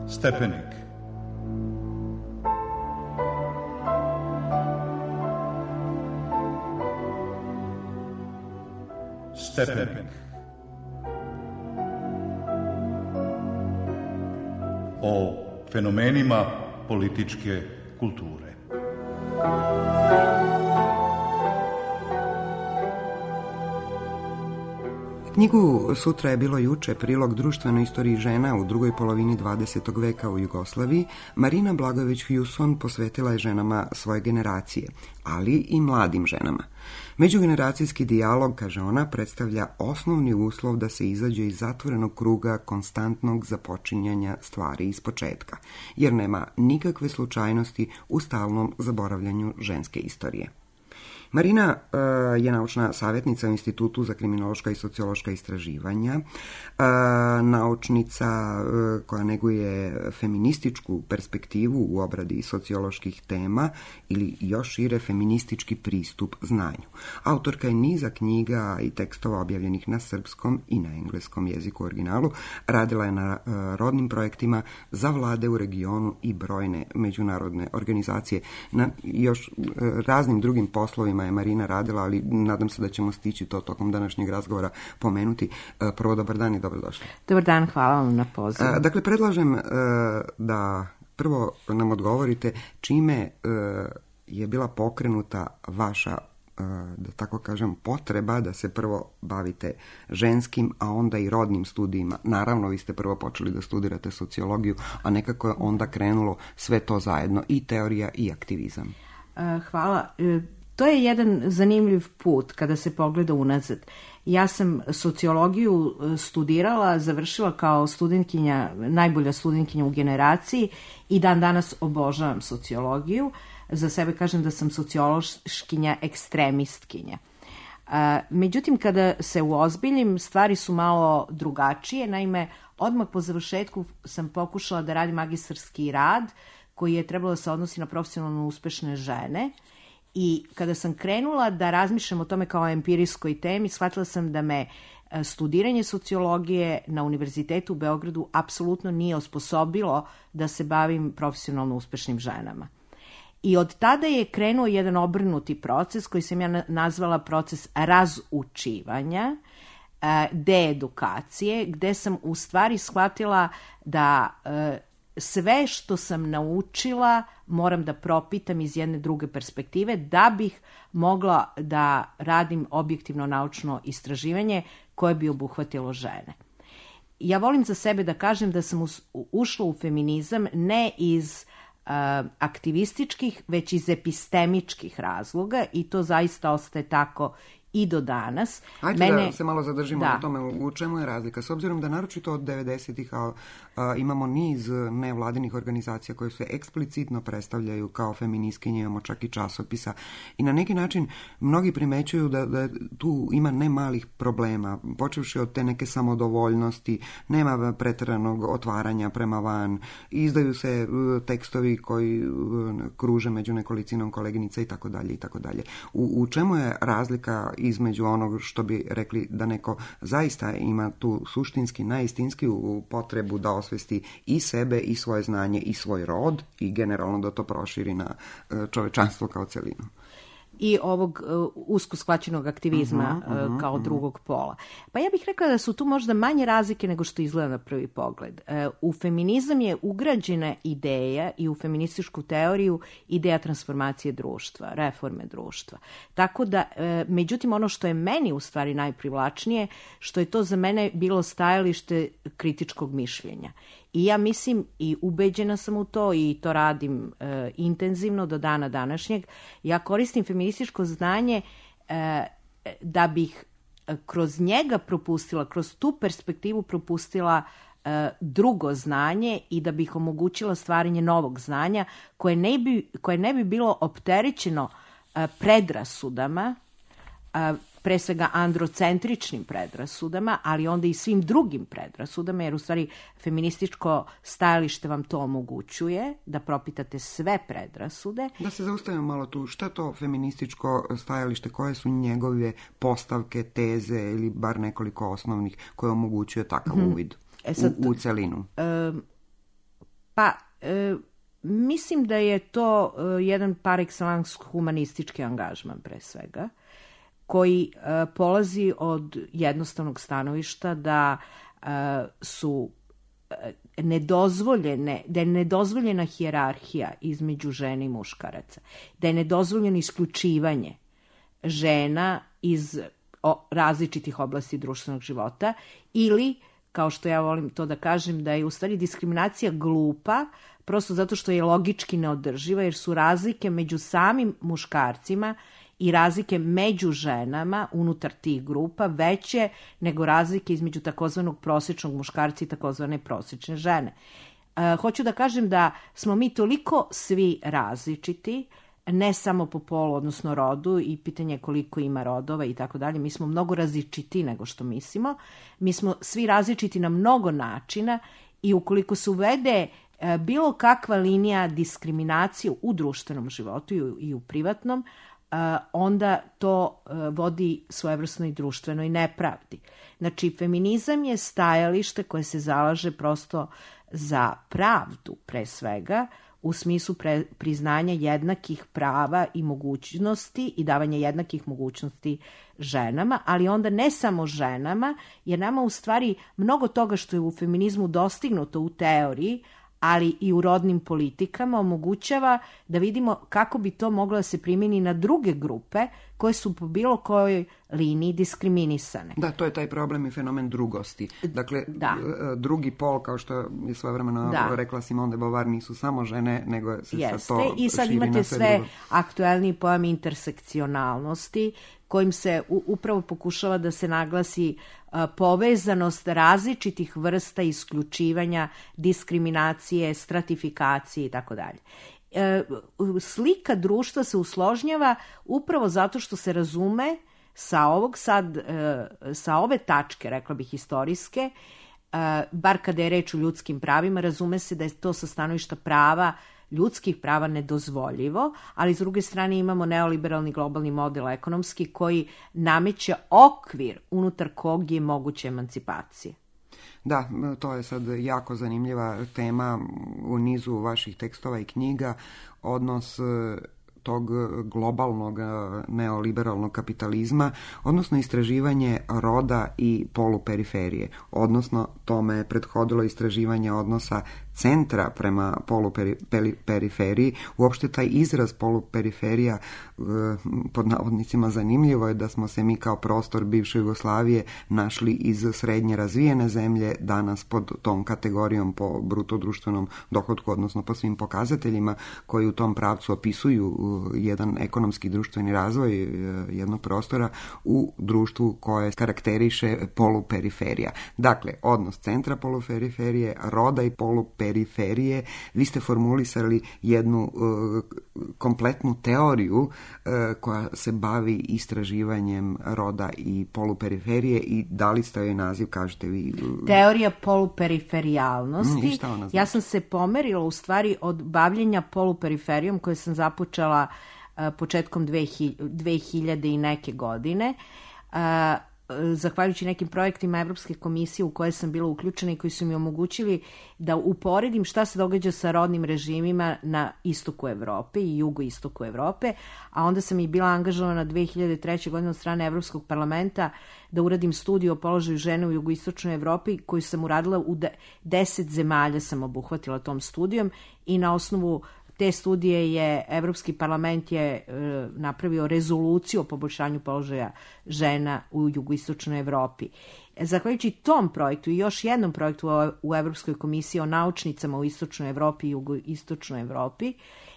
Stepenik. Stepenik. O fenomenima političke kulture. Knjigu Sutra je bilo juče, prilog društvenoj istoriji žena u drugoj polovini dvadesetog veka u Jugoslaviji, Marina Blagojević-Hjuson posvetila je ženama svoje generacije, ali i mladim ženama. Međugeneracijski dijalog, kaže ona, predstavlja osnovni uslov da se izađe iz zatvorenog kruga konstantnog započinjanja stvari iz početka, jer nema nikakve slučajnosti u stalnom zaboravljanju ženske istorije. Marina uh, je naučna savjetnica u Institutu za kriminološka i sociološka istraživanja, uh, naučnica uh, koja neguje feminističku perspektivu u obradi socioloških tema ili još šire feministički pristup znanju. Autorka je niza knjiga i tekstova objavljenih na srpskom i na engleskom jeziku u originalu, radila je na uh, rodnim projektima za vlade u regionu i brojne međunarodne organizacije. Na još uh, raznim drugim poslovima je Marina radila, ali nadam se da ćemo stići to tokom današnjeg razgovora pomenuti. Prvo, dobar dan i dobrodošli. Dobar dan, hvala vam na pozivu. Dakle, predlažem da prvo nam odgovorite čime je bila pokrenuta vaša, da tako kažem, potreba da se prvo bavite ženskim, a onda i rodnim studijima. Naravno, vi ste prvo počeli da studirate sociologiju, a nekako je onda krenulo sve to zajedno, i teorija i aktivizam. Hvala. To je jedan zanimljiv put kada se pogleda unazad. Ja sam sociologiju studirala, završila kao studentkinja, najbolja studentkinja u generaciji i dan danas obožavam sociologiju. Za sebe kažem da sam sociološkinja ekstremistkinja. Međutim, kada se uozbiljim, stvari su malo drugačije. Naime, odmah po završetku sam pokušala da radim magistarski rad koji je trebalo da se odnosi na profesionalno uspešne žene. I kada sam krenula da razmišljam o tome kao empirijskoj temi, shvatila sam da me studiranje sociologije na Univerzitetu u Beogradu apsolutno nije osposobilo da se bavim profesionalno uspešnim ženama. I od tada je krenuo jedan obrnuti proces koji sam ja nazvala proces razučivanja, deedukacije, gde sam u stvari shvatila da sve što sam naučila moram da propitam iz jedne druge perspektive da bih mogla da radim objektivno naučno istraživanje koje bi obuhvatilo žene. Ja volim za sebe da kažem da sam ušla u feminizam ne iz uh, aktivističkih, već iz epistemičkih razloga i to zaista ostaje tako i do danas. Ajde Mene... da se malo zadržimo da. na tome u čemu je razlika. S obzirom da naročito od devedesetih a, a, imamo niz nevladinih organizacija koje se eksplicitno predstavljaju kao feministkinje, imamo čak i časopisa i na neki način mnogi primećuju da, da tu ima ne malih problema, počevši od te neke samodovoljnosti, nema pretjeranog otvaranja prema van, izdaju se uh, tekstovi koji uh, kruže među nekolicinom koleginica i tako dalje i tako dalje. U, u čemu je razlika između onog što bi rekli da neko zaista ima tu suštinski, najistinski potrebu da osvesti i sebe i svoje znanje i svoj rod i generalno da to proširi na čovečanstvo kao celinu? I ovog uh, usko shvaćenog aktivizma uh, uh, uh, kao uh, drugog pola. Pa ja bih rekla da su tu možda manje razlike nego što izgleda na prvi pogled. Uh, u feminizam je ugrađena ideja i u feminističku teoriju ideja transformacije društva, reforme društva. Tako da, uh, međutim, ono što je meni u stvari najprivlačnije, što je to za mene bilo stajalište kritičkog mišljenja. I ja mislim i ubeđena sam u to i to radim e, intenzivno do dana današnjeg. Ja koristim feminističko znanje e, da bih kroz njega propustila, kroz tu perspektivu propustila e, drugo znanje i da bih omogućila stvaranje novog znanja koje ne bi, koje ne bi bilo opterećeno e, predrasudama, e, pre svega androcentričnim predrasudama, ali onda i svim drugim predrasudama, jer u stvari feminističko stajalište vam to omogućuje, da propitate sve predrasude. Da se zaustavimo malo tu, šta je to feminističko stajalište, koje su njegove postavke, teze ili bar nekoliko osnovnih koje omogućuje takav mm-hmm. uvid e sad, u, u celinu? E, pa... E, mislim da je to e, jedan par excellence humanistički angažman pre svega, koji e, polazi od jednostavnog stanovišta da e, su e, nedozvoljene, da je nedozvoljena hijerarhija između žena i muškaraca, da je nedozvoljeno isključivanje žena iz o, različitih oblasti društvenog života ili, kao što ja volim to da kažem, da je u stvari diskriminacija glupa, prosto zato što je logički neodrživa, jer su razlike među samim muškarcima i razlike među ženama unutar tih grupa veće nego razlike između takozvanog prosječnog muškarca i takozvane prosječne žene. E, hoću da kažem da smo mi toliko svi različiti, ne samo po polu, odnosno rodu, i pitanje koliko ima rodova i tako dalje. Mi smo mnogo različiti nego što mislimo. Mi smo svi različiti na mnogo načina i ukoliko se uvede e, bilo kakva linija diskriminacije u društvenom životu i u, i u privatnom, Uh, onda to uh, vodi svojevrsnoj društvenoj nepravdi. Znači, feminizam je stajalište koje se zalaže prosto za pravdu, pre svega, u smislu pre, priznanja jednakih prava i mogućnosti i davanja jednakih mogućnosti ženama, ali onda ne samo ženama, jer nama u stvari mnogo toga što je u feminizmu dostignuto u teoriji, ali i u rodnim politikama omogućava da vidimo kako bi to moglo da se primjeni na druge grupe koje su po bilo kojoj liniji diskriminisane. Da, to je taj problem i fenomen drugosti. Dakle, da. drugi pol, kao što je svojevremeno da. rekla Simone de Beauvoir, nisu samo žene, nego se Jeste. sa to i sad širi imate na sve sve drugo. aktuelniji pojam intersekcionalnosti, kojim se u, upravo pokušava da se naglasi uh, povezanost različitih vrsta isključivanja, diskriminacije, stratifikacije i tako dalje. Slika društva se usložnjava upravo zato što se razume sa ovog sad, sa ove tačke, rekla bih istorijske, bar kada je reč o ljudskim pravima, razume se da je to sa stanovišta prava, ljudskih prava nedozvoljivo, ali s druge strane imamo neoliberalni globalni model ekonomski koji nameće okvir unutar kog je moguće emancipacije. Da, to je sad jako zanimljiva tema u nizu vaših tekstova i knjiga, odnos tog globalnog neoliberalnog kapitalizma, odnosno istraživanje roda i poluperiferije, odnosno tome je prethodilo istraživanje odnosa centra prema poluperiferiji. Uopšte taj izraz poluperiferija, pod navodnicima zanimljivo je da smo se mi kao prostor bivše Jugoslavije našli iz srednje razvijene zemlje, danas pod tom kategorijom po brutodruštvenom dohodku, odnosno po svim pokazateljima koji u tom pravcu opisuju jedan ekonomski društveni razvoj jednog prostora u društvu koje karakteriše poluperiferija. Dakle, odnos centra poluperiferije, roda i poluperiferije. Vi ste formulisali jednu uh, kompletnu teoriju uh, koja se bavi istraživanjem roda i poluperiferije i dali ste joj naziv, kažete vi... Uh... Teorija poluperiferjalnosti. Mm, šta ona znači? Ja sam se pomerila u stvari od bavljenja poluperiferijom koje sam započela uh, početkom dve hiljade i neke godine. Uh, zahvaljujući nekim projektima Evropske komisije u koje sam bila uključena i koji su mi omogućili da uporedim šta se događa sa rodnim režimima na istoku Evrope i jugoistoku Evrope, a onda sam i bila angažovana dve hiljade treće. godine od strane Evropskog parlamenta da uradim studiju o položaju žene u jugoistočnoj Evropi koju sam uradila u deset zemalja, sam obuhvatila tom studijom i na osnovu te studije je Evropski parlament je e, napravio rezoluciju o poboljšanju položaja žena u jugoistočnoj Evropi. Zahvaljujući tom projektu i još jednom projektu u Evropskoj komisiji o naučnicama u istočnoj Evropi i jugoistočnoj Evropi,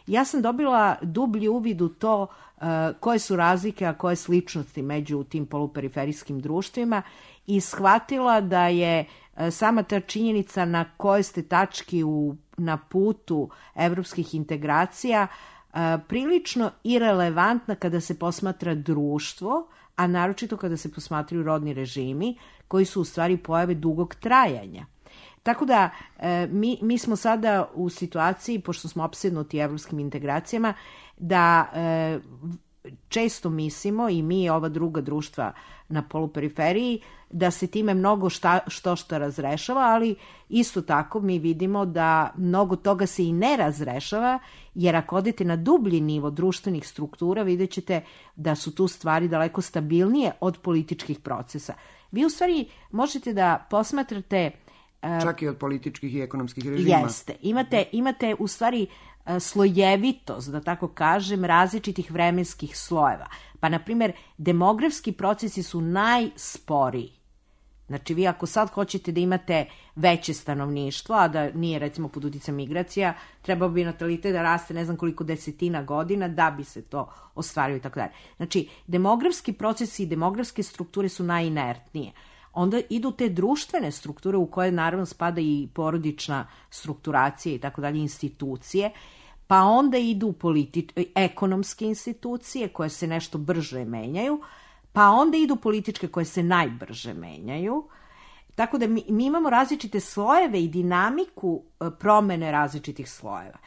ja sam dobila dublji uvid u to e, koje su razlike, a koje sličnosti među tim poluperiferijskim društvima i shvatila da je e, sama ta činjenica na kojoj ste tački u na putu evropskih integracija a, prilično irelevantna kada se posmatra društvo, a naročito kada se posmatraju rodni režimi koji su u stvari pojave dugog trajanja. Tako da e, mi, mi smo sada u situaciji, pošto smo opsednuti evropskim integracijama, da e, često mislimo i mi i ova druga društva na poluperiferiji da se time mnogo šta, što što razrešava, ali isto tako mi vidimo da mnogo toga se i ne razrešava, jer ako odete na dublji nivo društvenih struktura vidjet ćete da su tu stvari daleko stabilnije od političkih procesa. Vi u stvari možete da posmatrate čak i od političkih i ekonomskih režima. Jeste. Imate, imate u stvari slojevitost, da tako kažem, različitih vremenskih slojeva. Pa, na primjer, demografski procesi su najsporiji. Znači, vi ako sad hoćete da imate veće stanovništvo, a da nije, recimo, pod uticajem migracija, trebao bi natalitet da raste ne znam koliko desetina godina da bi se to ostvario i tako dalje. Znači, demografski procesi i demografske strukture su najinertnije. Onda idu te društvene strukture u koje naravno spada i porodična strukturacija i tako dalje, institucije, pa onda idu politi- ekonomske institucije koje se nešto brže menjaju, pa onda idu političke koje se najbrže menjaju. Tako da mi, mi imamo različite slojeve i dinamiku promene različitih slojeva.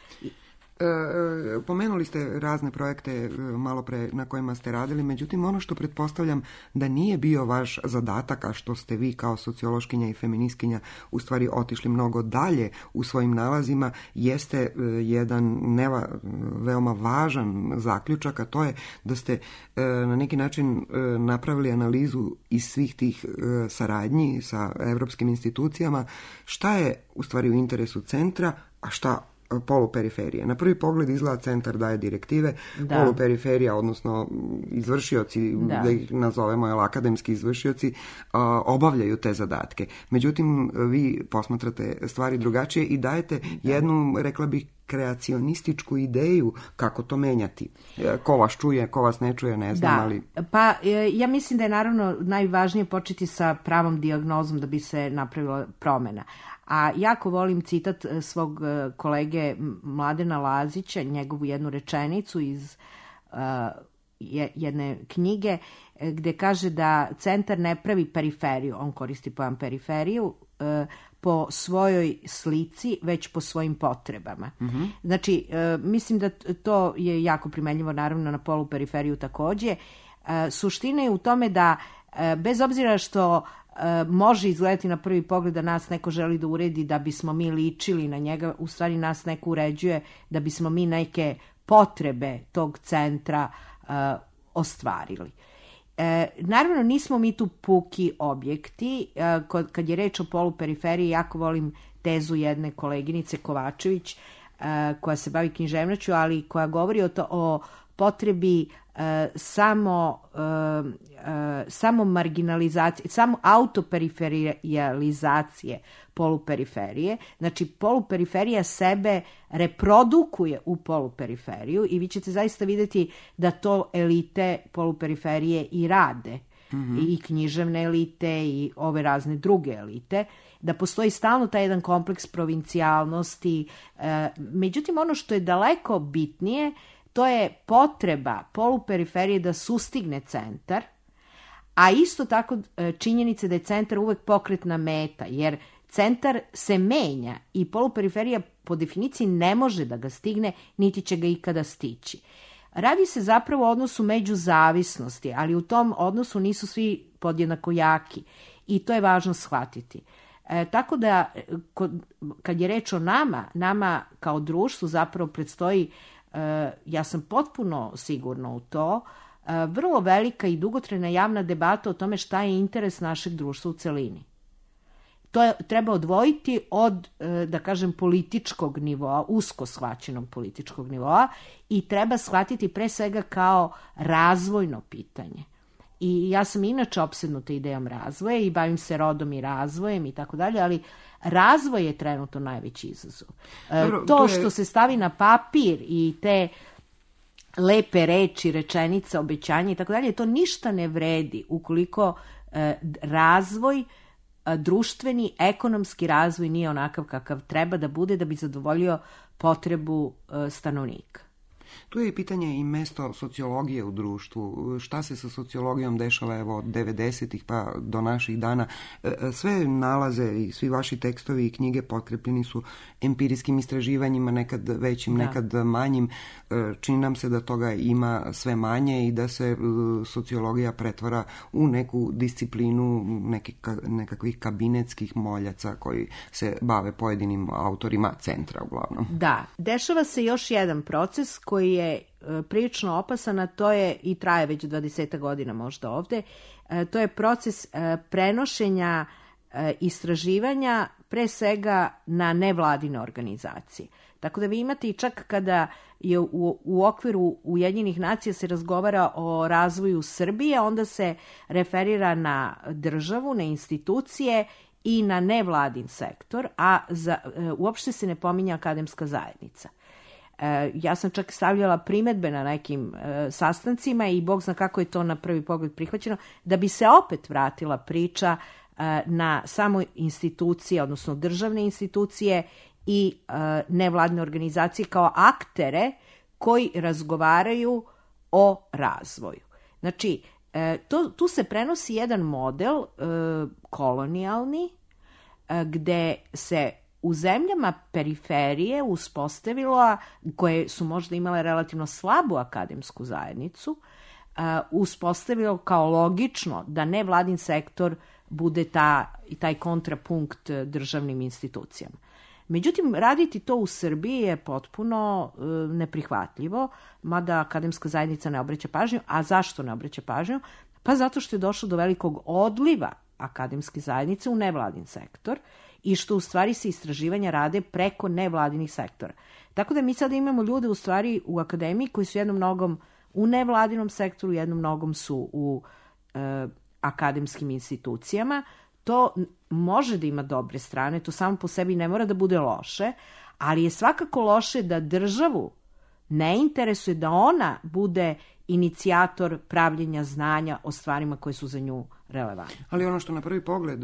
E, pomenuli ste razne projekte malo pre na kojima ste radili, međutim ono što pretpostavljam da nije bio vaš zadatak, a što ste vi kao sociološkinja i feministkinja u stvari otišli mnogo dalje u svojim nalazima, jeste jedan neva, veoma važan zaključak, a to je da ste e, na neki način e, napravili analizu iz svih tih e, saradnji sa evropskim institucijama, šta je u stvari u interesu centra, a šta poluperiferije. Na prvi pogled izgleda centar daje direktive, da. Poluperiferija, odnosno izvršioci, da, da ih nazovemo jel, akademski izvršioci, a, obavljaju te zadatke. Međutim, vi posmatrate stvari drugačije i dajete da. jednu, rekla bih, kreacionističku ideju kako to menjati. Ko vas čuje, ko vas ne čuje, ne znam, da. ali... Pa ja mislim da je naravno najvažnije početi sa pravom dijagnozom da bi se napravila promena. A jako volim citat svog kolege Mladena Lazića, njegovu jednu rečenicu iz uh, jedne knjige, gde kaže da centar ne pravi periferiju, on koristi pojam periferiju, uh, po svojoj slici, već po svojim potrebama. Mm-hmm. Znači, uh, mislim da to je jako primenljivo naravno na poluperiferiju takođe. Uh, suština je u tome da, uh, bez obzira što može izgledati na prvi pogled da nas neko želi da uredi da bismo mi ličili na njega, u stvari nas neko uređuje da bismo mi neke potrebe tog centra uh, ostvarili. E, naravno, nismo mi tu puki objekti. E, kad je reč o poluperiferiji, jako volim tezu jedne koleginice Kovačević, koja se bavi književnošću, ali koja govori o, to, o potrebi samo, samo marginalizacije, samo autoperiferijalizacije poluperiferije. Znači, poluperiferija sebe reprodukuje u poluperiferiju i vi ćete zaista vidjeti da to elite poluperiferije i rade. Mm-hmm. I književne elite i ove razne druge elite, da postoji stalno taj jedan kompleks provincijalnosti. Međutim, ono što je daleko bitnije, to je potreba poluperiferije da sustigne centar, a isto tako činjenice da je centar uvek pokretna meta, jer centar se menja i poluperiferija po definiciji ne može da ga stigne, niti će ga ikada stići. Radi se zapravo o odnosu međuzavisnosti, ali u tom odnosu nisu svi podjednako jaki i to je važno shvatiti. E, tako da, kod, kad je reč o nama, nama kao društvu zapravo predstoji, e, ja sam potpuno sigurna u to, e, vrlo velika i dugotrajna javna debata o tome šta je interes našeg društva u celini. To je, treba odvojiti od, da kažem, političkog nivoa, usko shvaćenog političkog nivoa i treba shvatiti pre svega kao razvojno pitanje. I ja sam inače opsednuta idejom razvoja i bavim se rodom i razvojem i tako dalje, ali razvoj je trenutno najveći izazov. Dobro, to je... što se stavi na papir i te lepe reči, rečenice, obećanja i tako dalje, to ništa ne vredi ukoliko razvoj, društveni, ekonomski razvoj nije onakav kakav treba da bude da bi zadovoljio potrebu stanovnika. Tu je i pitanje i mesto sociologije u društvu. Šta se sa sociologijom dešava evo od devedesetih pa do naših dana? Sve nalaze i svi vaši tekstovi i knjige potkrepljeni su empirijskim istraživanjima, nekad većim, da. nekad manjim. Čini nam se da toga ima sve manje i da se sociologija pretvara u neku disciplinu neke, nekakvih kabinetskih moljaca koji se bave pojedinim autorima centra uglavnom. Da, dešava se još jedan proces koji je prilično opasan, a to je i traje već dvadeset godina možda ovde, to je proces prenošenja istraživanja pre svega na nevladine organizacije. Tako da vi imate i čak kada je u, u okviru Ujedinjenih nacija se razgovara o razvoju Srbije, onda se referira na državu, na institucije i na nevladin sektor, a za, uopšte se ne pominja akademska zajednica. Ja sam čak stavljala primedbe na nekim e, sastancima i Bog zna kako je to na prvi pogled prihvaćeno, da bi se opet vratila priča e, na samo institucije, odnosno državne institucije i e, nevladne organizacije kao aktere koji razgovaraju o razvoju. Znači, e, to, tu se prenosi jedan model e, kolonijalni e, gde se u zemljama periferije uspostavilo, koje su možda imale relativno slabu akademsku zajednicu, uspostavilo kao logično da nevladin sektor bude ta, taj kontrapunkt državnim institucijama. Međutim, raditi to u Srbiji je potpuno e, neprihvatljivo, mada akademska zajednica ne obraća pažnju. A zašto ne obraća pažnju? Pa zato što je došlo do velikog odliva akademske zajednice u nevladin sektor i što u stvari se istraživanja rade preko nevladinih sektora. Tako da mi sada imamo ljude u stvari u akademiji koji su jednom nogom u nevladinom sektoru, jednom nogom su u e, akademskim institucijama. To može da ima dobre strane, to samo po sebi ne mora da bude loše, ali je svakako loše da državu ne interesuje da ona bude inicijator pravljenja znanja o stvarima koje su za nju relevantne. Ali ono što na prvi pogled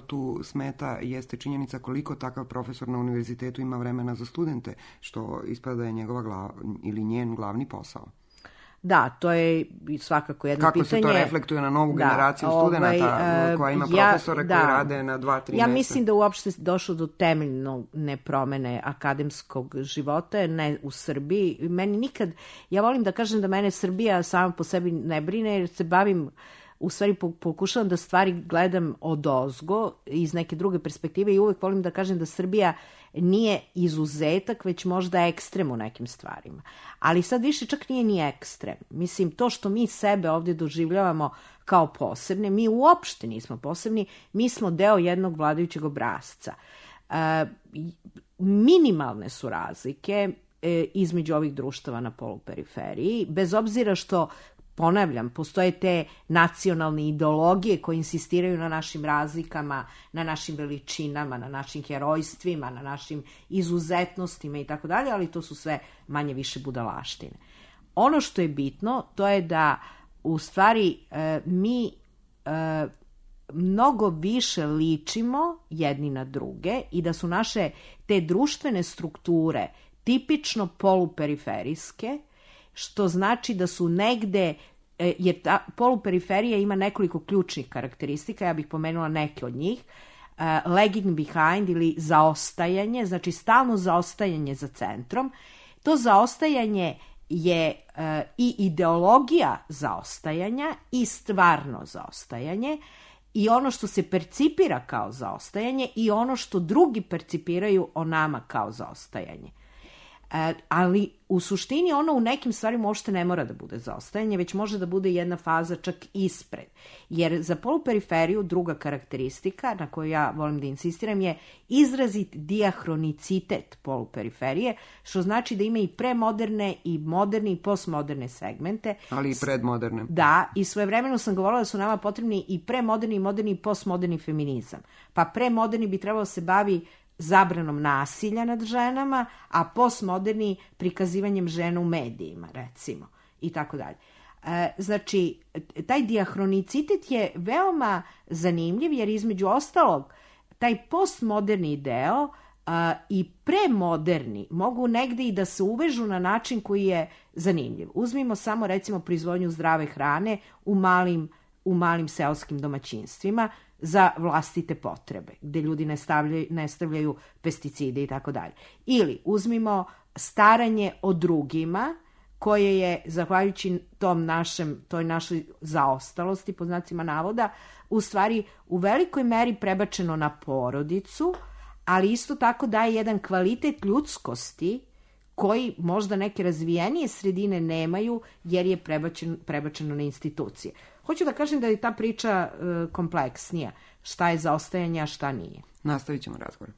tu smeta jeste činjenica koliko takav profesor na univerzitetu ima vremena za studente, što ispada da je njegova glav, ili njen glavni posao. Da, to je svakako jedno Kako pitanje. Kako se to reflektuje na novu da, generaciju studenata ovaj, koja ima ja, profesore da, koji rade na dva, tri ja mesta? Mislim da uopšte došlo do temeljne promene akademskog života, ne u Srbiji. Meni nikad, ja volim da kažem da mene Srbija sama po sebi ne brine, jer se bavim, u stvari pokušavam da stvari gledam odozgo, iz neke druge perspektive i uvek volim da kažem da Srbija nije izuzetak, već možda ekstrem u nekim stvarima. Ali sad više čak nije ni ekstrem. Mislim, to što mi sebe ovdje doživljavamo kao posebne, mi uopšte nismo posebni, mi smo deo jednog vladajućeg obrasca. Minimalne su razlike između ovih društava na poluperiferiji, bez obzira što, ponavljam, postoje te nacionalne ideologije koje insistiraju na našim razlikama, na našim veličinama, na našim herojstvima, na našim izuzetnostima i tako dalje, ali to su sve manje više budalaštine. Ono što je bitno, to je da u stvari mi mnogo više ličimo jedni na druge i da su naše te društvene strukture tipično poluperiferijske, što znači da su negde, jer ta poluperiferija ima nekoliko ključnih karakteristika, ja bih pomenula neke od njih, lagging behind ili zaostajanje, znači stalno zaostajanje za centrom. To zaostajanje je i ideologija zaostajanja i stvarno zaostajanje, i ono što se percipira kao zaostajanje i ono što drugi percipiraju o nama kao zaostajanje. E, ali u suštini ono u nekim stvarima uopšte ne mora da bude zaostajanje, već može da bude jedna faza čak ispred. Jer za poluperiferiju druga karakteristika na koju ja volim da insistiram je izrazit diahronicitet poluperiferije, što znači da ima i premoderne i moderne i postmoderne segmente. Ali i predmoderne. Da, i svojevremeno sam govorila da su nama potrebni i premoderni i moderni i postmoderni feminizam. Pa premoderni bi trebalo se bavi zabranom nasilja nad ženama, a postmoderni prikazivanjem žena u medijima, recimo, i tako dalje. Znači, taj diahronicitet je veoma zanimljiv, jer između ostalog, taj postmoderni deo a, i premoderni mogu negde i da se uvežu na način koji je zanimljiv. Uzmimo samo, recimo, proizvodnju zdrave hrane u malim, u malim seoskim domaćinstvima, za vlastite potrebe, gde ljudi ne stavljaju, ne stavljaju pesticide i tako dalje. Ili uzmimo staranje o drugima, koje je, zahvaljujući tom našem, toj našoj zaostalosti, po znacima navoda, u stvari u velikoj meri prebačeno na porodicu, ali isto tako daje jedan kvalitet ljudskosti koji možda neke razvijenije sredine nemaju, jer je prebačen, prebačeno na institucije. Hoću da kažem da je ta priča e, kompleksnija. Šta je zaostajanje, a šta nije. Nastavit ćemo razgovor.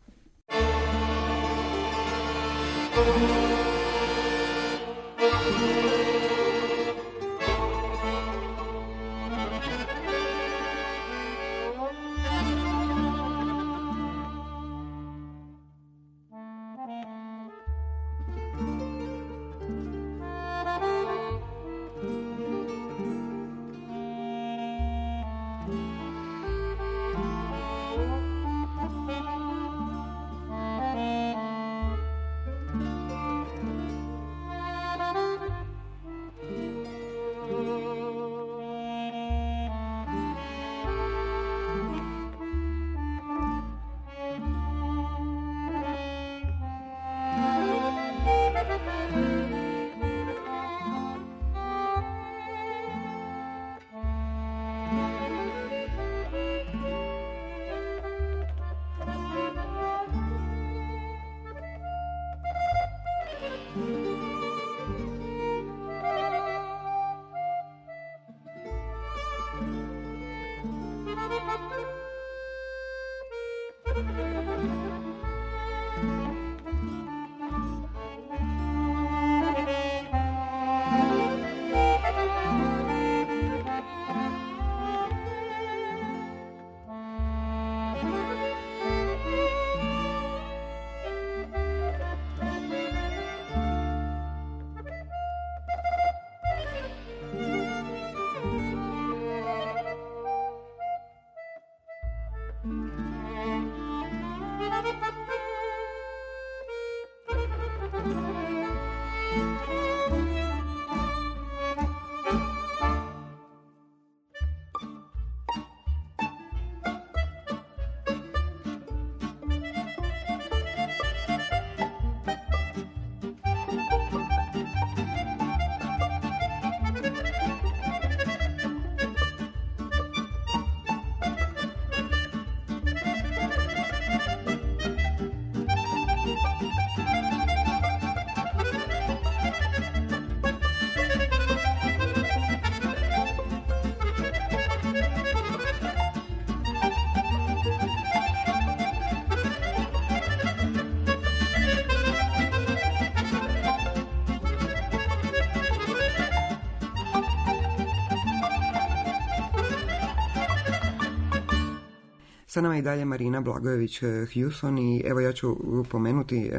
Sa nama je i dalje Marina Blagojević-Hewson i evo ja ću pomenuti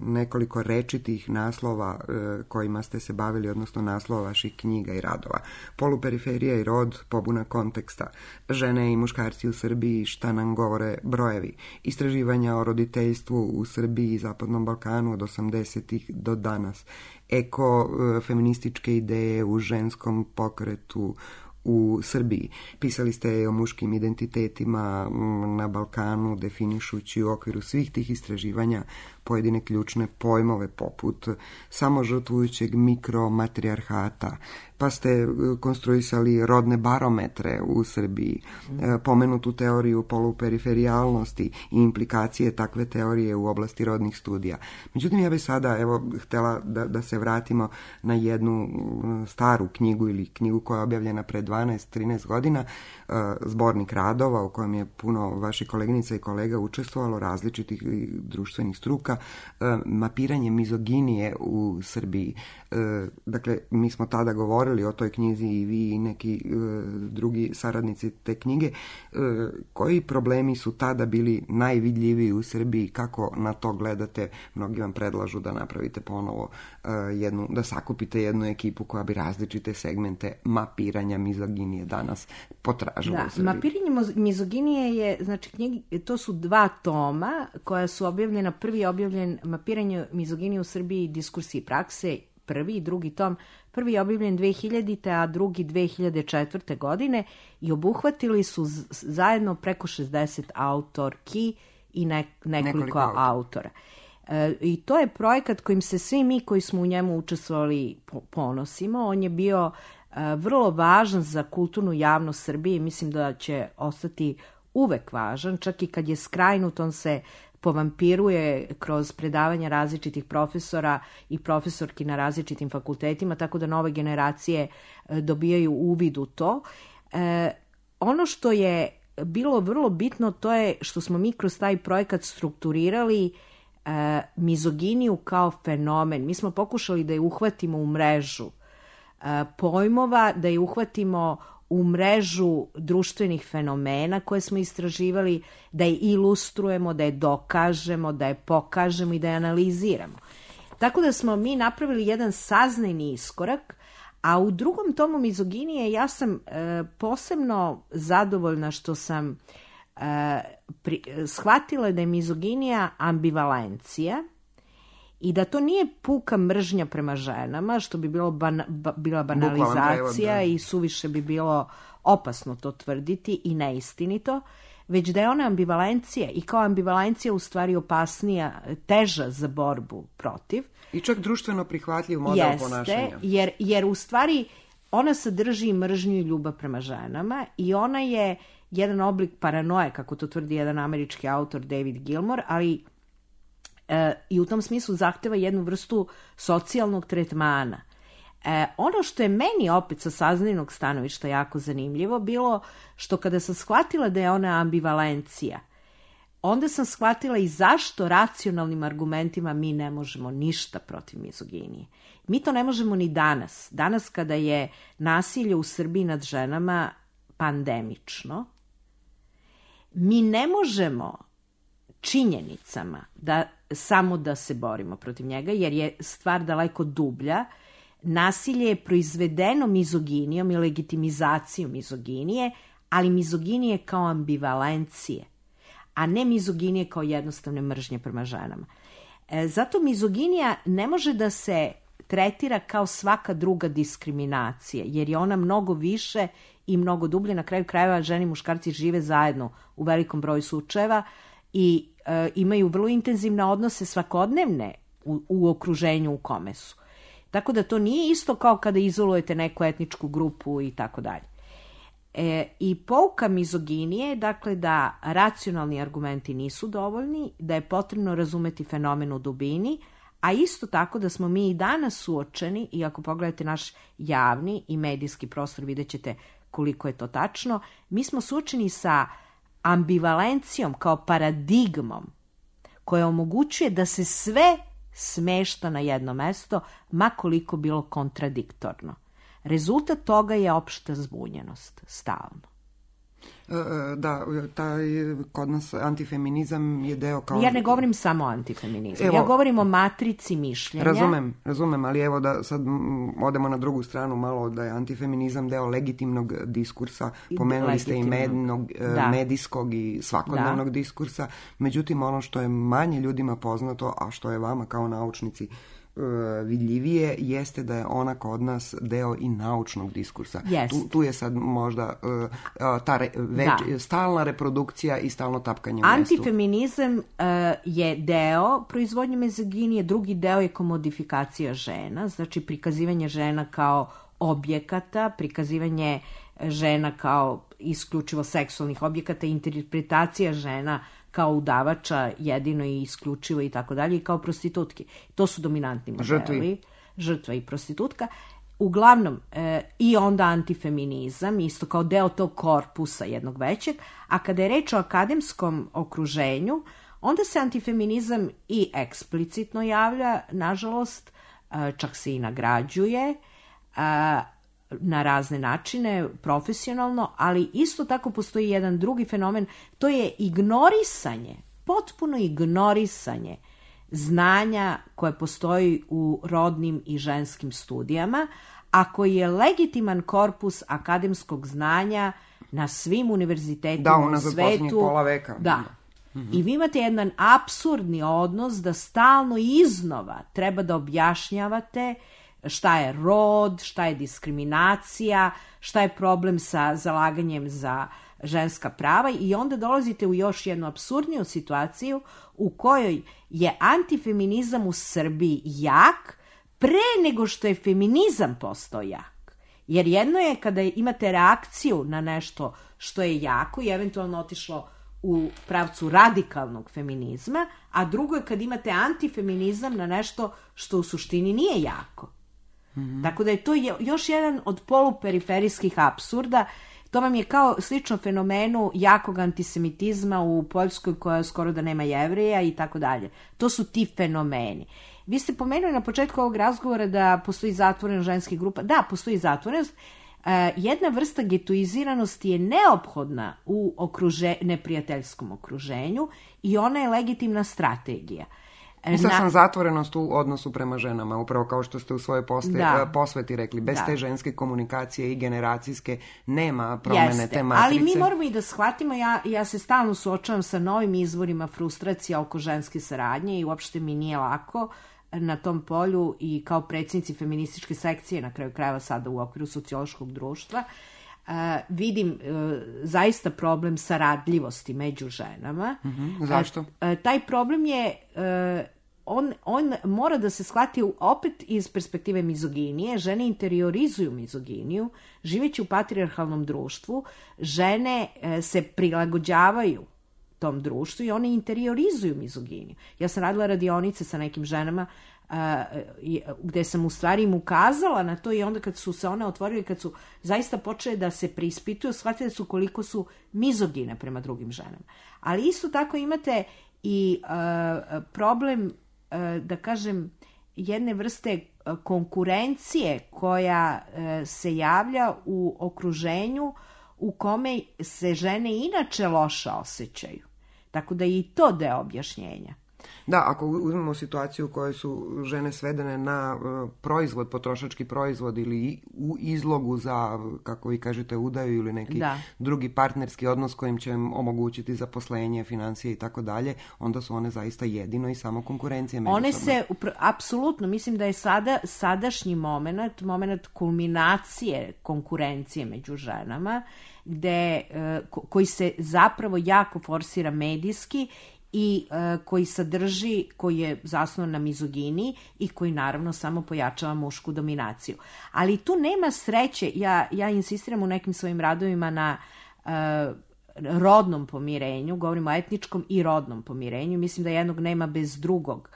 nekoliko rečitih naslova kojima ste se bavili, odnosno naslova vaših knjiga i radova. Poluperiferija i rod, pobuna konteksta, žene i muškarci u Srbiji, šta nam govore brojevi, istraživanja o roditeljstvu u Srbiji i Zapadnom Balkanu od osamdesetih do danas, ekofeminističke ideje u ženskom pokretu u Srbiji. Pisali ste o muškim identitetima na Balkanu, definišući u okviru svih tih istraživanja pojedine ključne pojmove poput samožrtvujućeg mikromatrijarhata, pa ste konstruisali rodne barometre u Srbiji, pomenutu teoriju poluperiferijalnosti i implikacije takve teorije u oblasti rodnih studija. Međutim, ja bih sada evo htjela da, da se vratimo na jednu staru knjigu ili knjigu koja je objavljena pre dvanaest trinaest godina, zbornik radova u kojem je puno vaših koleginica i kolega učestvovalo, različitih društvenih struka, mapiranje mizoginije u Srbiji. Dakle, mi smo tada govorili o toj knjizi i vi i neki drugi saradnici te knjige. Koji problemi su tada bili najvidljiviji u Srbiji, kako na to gledate? Mnogi vam predlažu da napravite ponovo jednu, da sakupite jednu ekipu koja bi različite segmente mapiranja mizoginije danas potražila da, u Srbiji. Mapiranje mizoginije je, znači, knjigi, to su dva toma koja su objavljena. Prvi je objavljen Mapiranje mizoginije u Srbiji, diskursi i prakse, prvi i drugi tom. Prvi je objavljen dve hiljadite. a drugi dve hiljade četvrte. godine i obuhvatili su zajedno preko šezdeset autorki i ne, nekoliko, nekoliko autora. E, I to je projekat kojim se svi mi koji smo u njemu učestvovali ponosimo. On je bio e, vrlo važan za kulturnu javnost Srbije i mislim da će ostati uvek važan, čak i kad je skrajnut, on se povampiruje kroz predavanja različitih profesora i profesorki na različitim fakultetima, tako da nove generacije dobijaju uvid u to. E, ono što je bilo vrlo bitno, to je što smo mi kroz taj projekat strukturirali e, mizoginiju kao fenomen. Mi smo pokušali da je uhvatimo u mrežu e, pojmova, da je uhvatimo u mrežu društvenih fenomena koje smo istraživali, da je ilustrujemo, da je dokažemo, da je pokažemo i da je analiziramo. Tako da smo mi napravili jedan saznajni iskorak, a u drugom tomu mizoginije ja sam e, posebno zadovoljna što sam e, pri, shvatila da je mizoginija ambivalencija i da to nije puka mržnja prema ženama, što bi bilo bana, ba, bila banalizacija prevod, i suviše bi bilo opasno to tvrditi i neistinito, već da je ona ambivalencija i kao ambivalencija u stvari opasnija, teža za borbu protiv. I čak društveno prihvatljiv model Jeste, ponašanja. Jer, jer u stvari ona sadrži mržnju i ljubav prema ženama i ona je jedan oblik paranoje, kako to tvrdi jedan američki autor David Gilmour, ali E, i u tom smislu zahteva jednu vrstu socijalnog tretmana. E, ono što je meni opet sa saznajnog stanovišta jako zanimljivo bilo što kada sam shvatila da je ona ambivalencija, onda sam shvatila i zašto racionalnim argumentima mi ne možemo ništa protiv mizoginije. Mi to ne možemo ni danas. Danas kada je nasilje u Srbiji nad ženama pandemično, mi ne možemo činjenicama da samo da se borimo protiv njega, jer je stvar daleko dublja. Nasilje je proizvedeno mizoginijom i legitimizacijom mizoginije, ali mizoginije kao ambivalencije, a ne mizoginije kao jednostavne mržnje prema ženama. E, zato mizoginija ne može da se tretira kao svaka druga diskriminacija, jer je ona mnogo više i mnogo dublje. Na kraju krajeva žene i muškarci žive zajedno u velikom broju slučajeva i e, imaju vrlo intenzivne odnose svakodnevne u, u okruženju u kome su. Tako da to nije isto kao kada izolujete neku etničku grupu i tako dalje. E, I pouka mizoginije je dakle da racionalni argumenti nisu dovoljni, da je potrebno razumeti fenomen u dubini, a isto tako da smo mi i danas suočeni, i ako pogledate naš javni i medijski prostor vidjet ćete koliko je to tačno, mi smo suočeni sa ambivalencijom kao paradigmom koja omogućuje da se sve smešta na jedno mesto, ma koliko bilo kontradiktorno. Rezultat toga je opšta zbunjenost, stalno. Da, taj kod nas antifeminizam je deo kao... Ja ne govorim samo o antifeminizmu, evo, ja govorim o matrici mišljenja. Razumem, razumem, ali evo da sad odemo na drugu stranu malo, da je antifeminizam deo legitimnog diskursa, pomenuli ste i mednog, medijskog i svakodnevnog da. diskursa, međutim ono što je manje ljudima poznato, a što je vama kao naučnici vidljivije, jeste da je ona kod nas deo i naučnog diskursa. Tu, tu je sad možda uh, ta re, već, da. stalna reprodukcija i stalno tapkanje u mjestu. Antifeminizam uh, je deo proizvodnje mizoginije, drugi deo je komodifikacija žena, znači prikazivanje žena kao objekata, prikazivanje žena kao isključivo seksualnih objekata, interpretacija žena kao udavača jedino i isključivo i tako dalje, i kao prostitutke. To su dominantni modeli. Žrtvi. Žrtva i prostitutka. Uglavnom, e, i onda antifeminizam, isto kao deo tog korpusa jednog većeg, a kada je reč o akademskom okruženju, onda se antifeminizam i eksplicitno javlja, nažalost, e, čak se i nagrađuje, e, na razne načine, profesionalno, ali isto tako postoji jedan drugi fenomen, to je ignorisanje, potpuno ignorisanje znanja koje postoji u rodnim i ženskim studijama, a koji je legitiman korpus akademskog znanja na svim univerzitetima da, u svetu. Pola veka. Da. Mm-hmm. I vi imate jedan apsurdni odnos da stalno iznova treba da objašnjavate šta je rod, šta je diskriminacija, šta je problem sa zalaganjem za ženska prava, i onda dolazite u još jednu apsurdniju situaciju u kojoj je antifeminizam u Srbiji jak pre nego što je feminizam postao jak. Jer jedno je kada imate reakciju na nešto što je jako i eventualno otišlo u pravcu radikalnog feminizma, a drugo je kad imate antifeminizam na nešto što u suštini nije jako. Mm-hmm. Tako da je to još jedan od poluperiferijskih apsurda. To vam je kao slično fenomenu jakog antisemitizma u Poljskoj koja skoro da nema Jevreja i tako dalje. To su ti fenomeni. Vi ste pomenuli na početku ovog razgovora da postoji zatvorenost ženskih grupa. Da, postoji zatvorenost. E, jedna vrsta getoiziranosti je neophodna u okruže, neprijateljskom okruženju i ona je legitimna strategija. Mislila sam zatvorenost u odnosu prema ženama, upravo kao što ste u svojoj poste, da. posveti rekli. Bez da. te ženske komunikacije i generacijske nema promene Jeste, te matrice. Ali mi moramo i da shvatimo, ja, ja se stalno suočavam sa novim izvorima frustracija oko ženske saradnje i uopšte mi nije lako na tom polju, i kao predsjednici feminističke sekcije, na kraju krajeva sada u okviru sociološkog društva, Uh, vidim uh, zaista problem saradljivosti među ženama. Mm-hmm. Zašto? Uh, uh, taj problem je, uh, on, on mora da se shvati opet iz perspektive mizoginije. Žene interiorizuju mizoginiju, živeći u patrijarhalnom društvu, žene uh, se prilagođavaju tom društvu i one interiorizuju mizoginiju. Ja sam radila radionice sa nekim ženama Uh, gde sam u stvari im ukazala na to, i onda kad su se one otvorile, kad su zaista počele da se preispituju, shvatile su koliko su mizogine prema drugim ženama. Ali isto tako imate i uh, problem, uh, da kažem, jedne vrste konkurencije koja uh, se javlja u okruženju u kome se žene inače loše osjećaju. Tako da je i to deo objašnjenja. Da, ako uzmemo situaciju u kojoj su žene svedene na uh, proizvod, potrošački proizvod ili u izlogu za, kako vi kažete, udaju ili neki da. drugi partnerski odnos kojim će im omogućiti zaposlenje, financije i tako dalje, onda su one zaista jedino i samo konkurencije međusobno. One se, apsolutno, mislim da je sada sadašnji moment, moment kulminacije konkurencije među ženama, gde, uh, koji se zapravo jako forsira medijski i uh, koji sadrži, koji je zasnovan na mizoginiji i koji naravno samo pojačava mušku dominaciju. Ali tu nema sreće, ja, ja insistiram u nekim svojim radovima na uh, rodnom pomirenju, govorimo o etničkom i rodnom pomirenju, mislim da jednog nema bez drugog,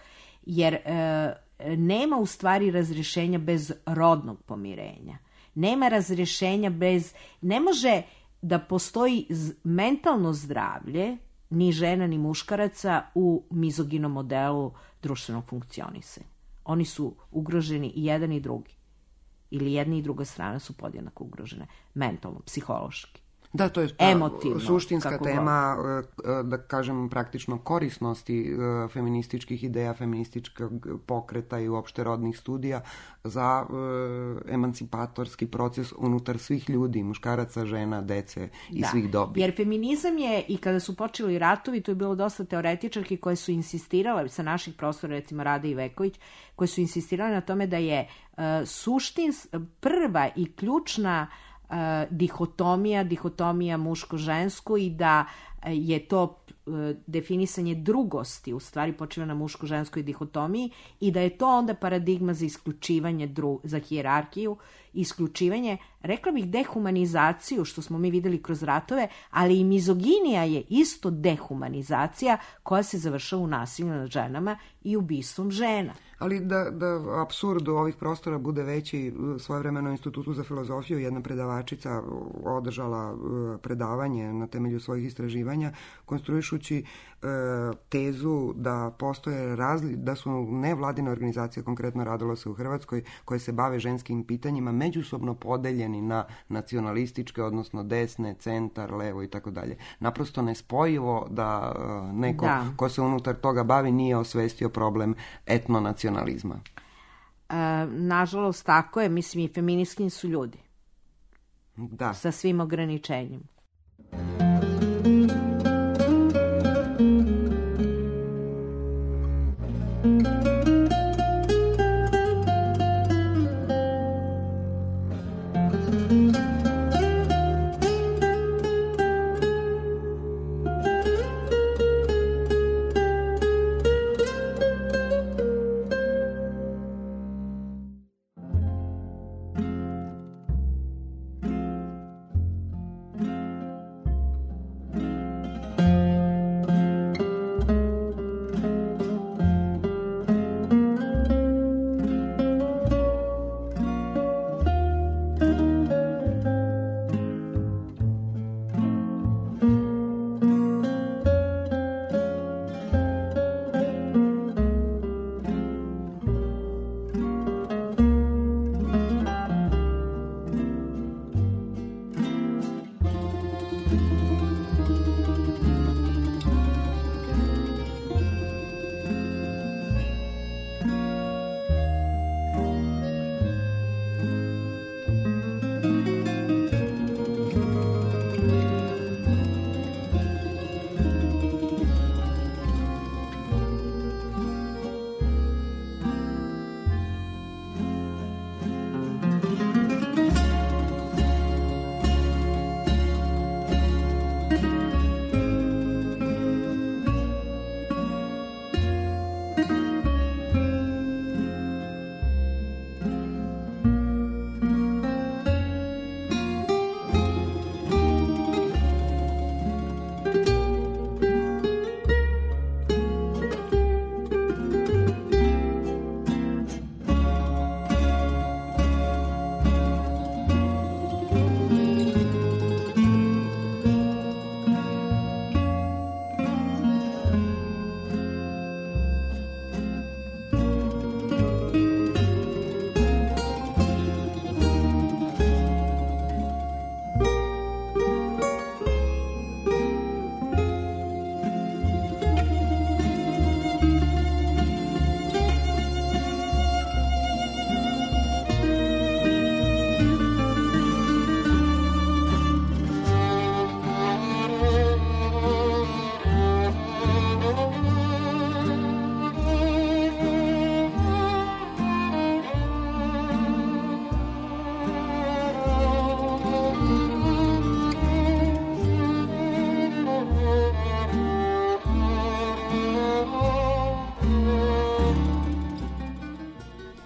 jer uh, nema u stvari razrješenja bez rodnog pomirenja. Nema razrješenja bez, ne može da postoji z, mentalno zdravlje ni žena ni muškaraca u mizoginom modelu društvenog funkcionisanja. Oni su ugroženi i jedan i drugi. Ili jedna i druga strana su podjednako ugrožene. Mentalno, psihološki. Da, to je ta emotivno, suštinska tema, god. Da kažem, praktično korisnosti feminističkih ideja, feminističkog pokreta i uopšte rodnih studija za emancipatorski proces unutar svih ljudi, muškaraca, žena, dece i da. svih dobi. Jer feminizam je, i kada su počeli ratovi, to je bilo dosta teoretičarki koje su insistirale, sa naših prostora, recimo Rada Iveković, koje su insistirale na tome da je uh, suštins, prva i ključna uh, dihotomija, dihotomija muško-žensko i da uh, je to uh, definisanje drugosti, u stvari počiva na muško-ženskoj dihotomiji i da je to onda paradigma za isključivanje, dru, za hijerarhiju, isključivanje, rekla bih dehumanizaciju, što smo mi videli kroz ratove, ali i mizoginija je isto dehumanizacija koja se završava u nasilju nad ženama i ubistvom žena. Ali da, da apsurd ovih prostora bude veći, svojevremeno Institutu za filozofiju jedna predavačica održala predavanje na temelju svojih istraživanja, konstruišući e, tezu da postoje razli, da su nevladine organizacije, konkretno radilo se u Hrvatskoj, koje se bave ženskim pitanjima, međusobno podeljeni na nacionalističke, odnosno desne, centar, levo i tako dalje. Naprosto nespojivo da e, neko da. ko se unutar toga bavi nije osvestio problem etnonacionalizma. E, nažalost, tako je. Mislim, i feministkinje su ljudi. Da. Sa svim ograničenjem.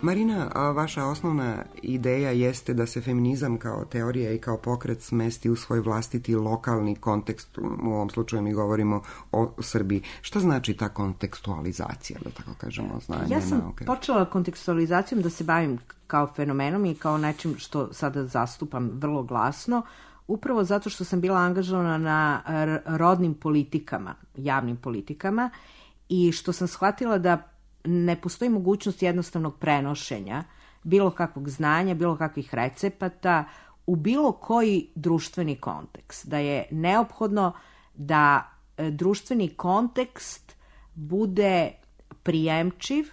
Marina, a vaša osnovna ideja jeste da se feminizam kao teorija i kao pokret smesti u svoj vlastiti lokalni kontekst. U ovom slučaju mi govorimo o Srbiji. Šta znači ta kontekstualizacija, da tako kažemo, znanja? Ja sam nauke? počela kontekstualizacijom da se bavim kao fenomenom i kao nečim što sada zastupam vrlo glasno, upravo zato što sam bila angažovana na rodnim politikama, javnim politikama, i što sam shvatila da ne postoji mogućnost jednostavnog prenošenja bilo kakvog znanja, bilo kakvih recepata u bilo koji društveni kontekst, da je neophodno da društveni kontekst bude prijemčiv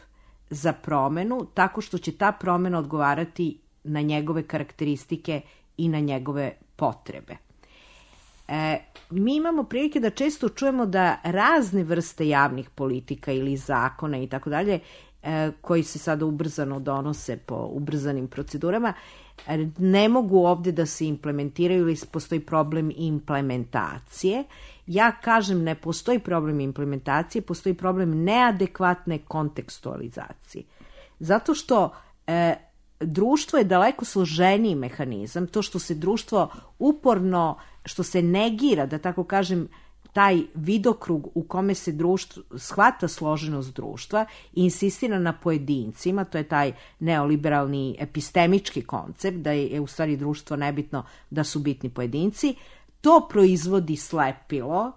za promenu, tako što će ta promena odgovarati na njegove karakteristike i na njegove potrebe. E, mi imamo prilike da često čujemo da razne vrste javnih politika ili zakona i tako dalje, koji se sada ubrzano donose po ubrzanim procedurama, ne mogu ovde da se implementiraju ili postoji problem implementacije. Ja kažem, ne postoji problem implementacije, postoji problem neadekvatne kontekstualizacije. Zato što e, društvo je daleko složeniji mehanizam, to što se društvo uporno, što se negira, da tako kažem, taj vidokrug u kome se društvo, shvata složenost društva i insistira na pojedincima, to je taj neoliberalni epistemički koncept, da je u stvari društvo nebitno, da su bitni pojedinci, to proizvodi slepilo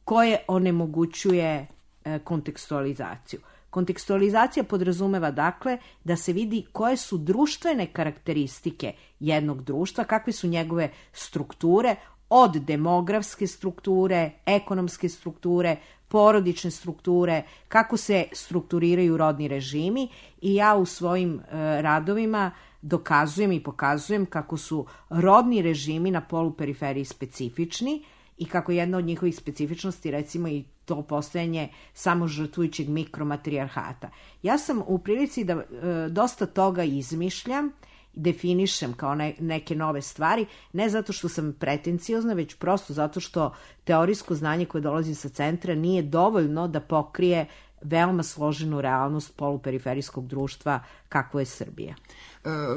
koje onemogućuje e, kontekstualizaciju. Kontekstualizacija podrazumeva dakle da se vidi koje su društvene karakteristike jednog društva, kakve su njegove strukture, od demografske strukture, ekonomske strukture, porodične strukture, kako se strukturiraju rodni režimi, i ja u svojim e, radovima dokazujem i pokazujem kako su rodni režimi na poluperiferiji specifični i kako jedna od njihovih specifičnosti, recimo i to postojanje samožrtvujućeg mikromatrijarhata. Ja sam u prilici da e, dosta toga izmišljam, definišem kao ne, neke nove stvari, ne zato što sam pretenciozna, već prosto zato što teorijsko znanje koje dolazi sa centra nije dovoljno da pokrije veoma složenu realnost poluperiferijskog društva kakvo je Srbija.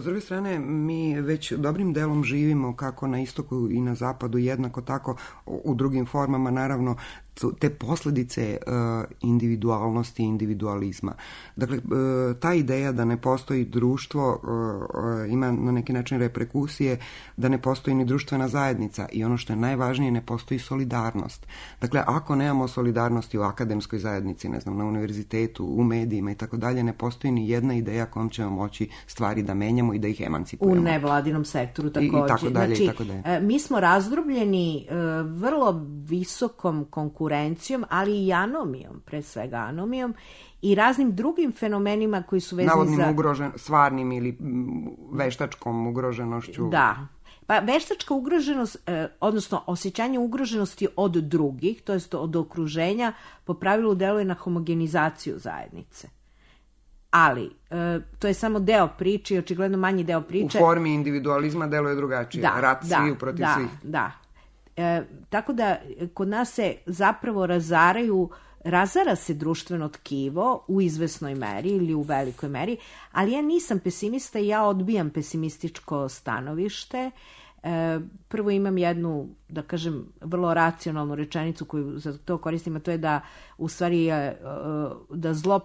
S druge strane, mi već dobrim delom živimo kako na istoku i na zapadu, jednako tako u drugim formama, naravno, te posledice individualnosti i individualizma. Dakle, ta ideja da ne postoji društvo ima na neki način reperkusije, da ne postoji ni društvena zajednica i ono što je najvažnije, ne postoji solidarnost. Dakle, ako nemamo solidarnosti u akademskoj zajednici, ne znam, na univerzitetu, u medijima i tako dalje, ne postoji ni jedna ideja kojom ćemo moći stvari da menjamo i da ih emancipujemo. U nevladinom sektoru takođe. I, i tako dalje, znači, i tako dalje. Mi smo razdrobljeni vrlo visokom konkurencijom, ali i anomijom, pre svega anomijom, i raznim drugim fenomenima koji su vezani navodnim za... ugrožen, stvarnim ili veštačkom ugroženošću. Da. Pa veštačka ugroženost, odnosno osjećanje ugroženosti od drugih, to jest od okruženja, po pravilu deluje na homogenizaciju zajednice. Ali, to je samo deo priče i očigledno manji deo priče. U formi individualizma deluje drugačije. Da, rat da, sviju protiv da, svih. Da, e, tako da kod nas se zapravo razaraju, razara se društveno tkivo u izvesnoj meri ili u velikoj meri, ali ja nisam pesimista i ja odbijam pesimističko stanovište. E, prvo imam jednu, da kažem, vrlo racionalnu rečenicu koju za to koristim, a to je da u stvari je, da zlo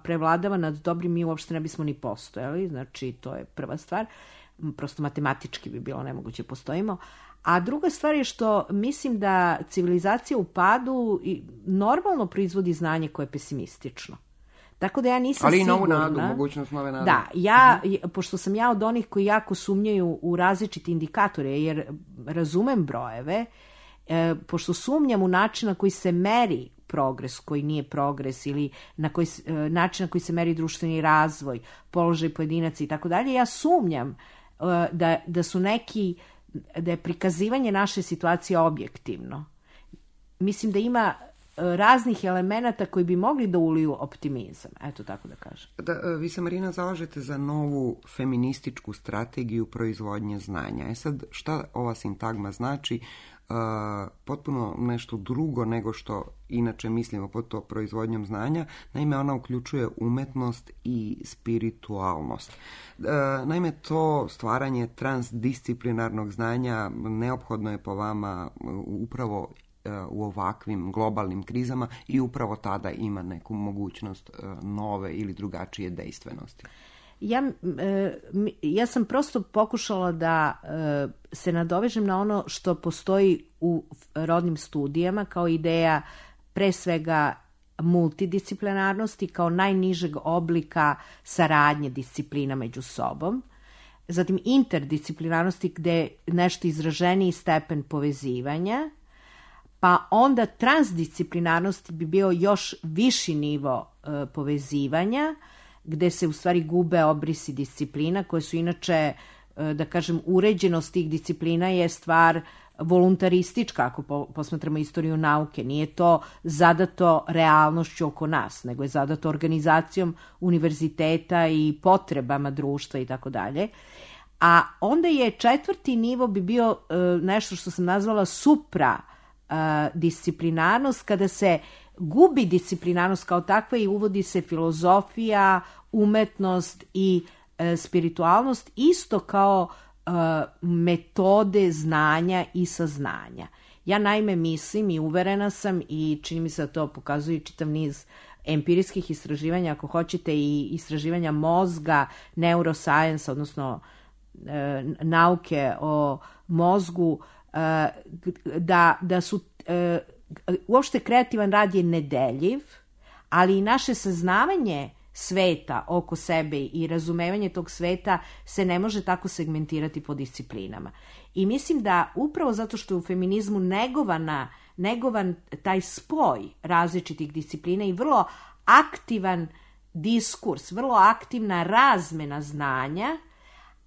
prevladava nad dobrim, mi uopšte ne bismo ni postojali, znači to je prva stvar, prosto matematički bi bilo nemoguće postojimo. A druga stvar je što mislim da civilizacija u padu normalno proizvodi znanje koje je pesimistično. Tako da ja nisam ali sigurna... Ali i novu nadu, mogućnost nove nade. Da, ja, uh-huh. pošto sam ja od onih koji jako sumnjaju u različite indikatore, jer razumem brojeve, e, pošto sumnjam u način na koji se meri progres, koji nije progres, ili na koji, e, način na koji se meri društveni razvoj, položaj pojedinaca i tako dalje, ja sumnjam e, da, da su neki, da je prikazivanje naše situacije objektivno. Mislim da ima raznih elemenata koji bi mogli da uliju optimizam. Eto, tako da kažem. Da, vi se, Marina, zalažete za novu feminističku strategiju proizvodnje znanja. E sad, šta ova sintagma znači? Uh, potpuno nešto drugo nego što inače mislimo pod to proizvodnjom znanja. Naime, ona uključuje umetnost i spiritualnost. Uh, naime, to stvaranje transdisciplinarnog znanja neophodno je po vama upravo u ovakvim globalnim krizama i upravo tada ima neku mogućnost nove ili drugačije dejstvenosti. Ja, ja sam prosto pokušala da se nadovežem na ono što postoji u rodnim studijama kao ideja pre svega multidisciplinarnosti kao najnižeg oblika saradnje disciplina među sobom. zatim interdisciplinarnosti gde je nešto izraženiji stepen povezivanja, pa onda transdisciplinarnost bi bio još viši nivo e, povezivanja, gde se u stvari gube obrisi disciplina, koje su inače, e, da kažem, uređenost tih disciplina je stvar voluntaristička, ako po, posmatramo istoriju nauke. Nije to zadato realnošću oko nas, nego je zadato organizacijom univerziteta i potrebama društva i tako dalje. A onda je četvrti nivo bi bio e, nešto što sam nazvala supra disciplinarnost, kada se gubi disciplinarnost kao takva i uvodi se filozofija, umetnost i e, spiritualnost, isto kao e, metode znanja i saznanja. Ja naime mislim i uverena sam, i čini mi se da to pokazuje čitav niz empirijskih istraživanja, ako hoćete, i istraživanja mozga, neuroscience, odnosno e, nauke o mozgu, da, da su e, uopšte kreativan rad je nedeljiv, ali i naše saznavanje sveta oko sebe i razumevanje tog sveta se ne može tako segmentirati po disciplinama. I mislim da upravo zato što je u feminizmu negovana, negovan taj spoj različitih disciplina i vrlo aktivan diskurs, vrlo aktivna razmena znanja,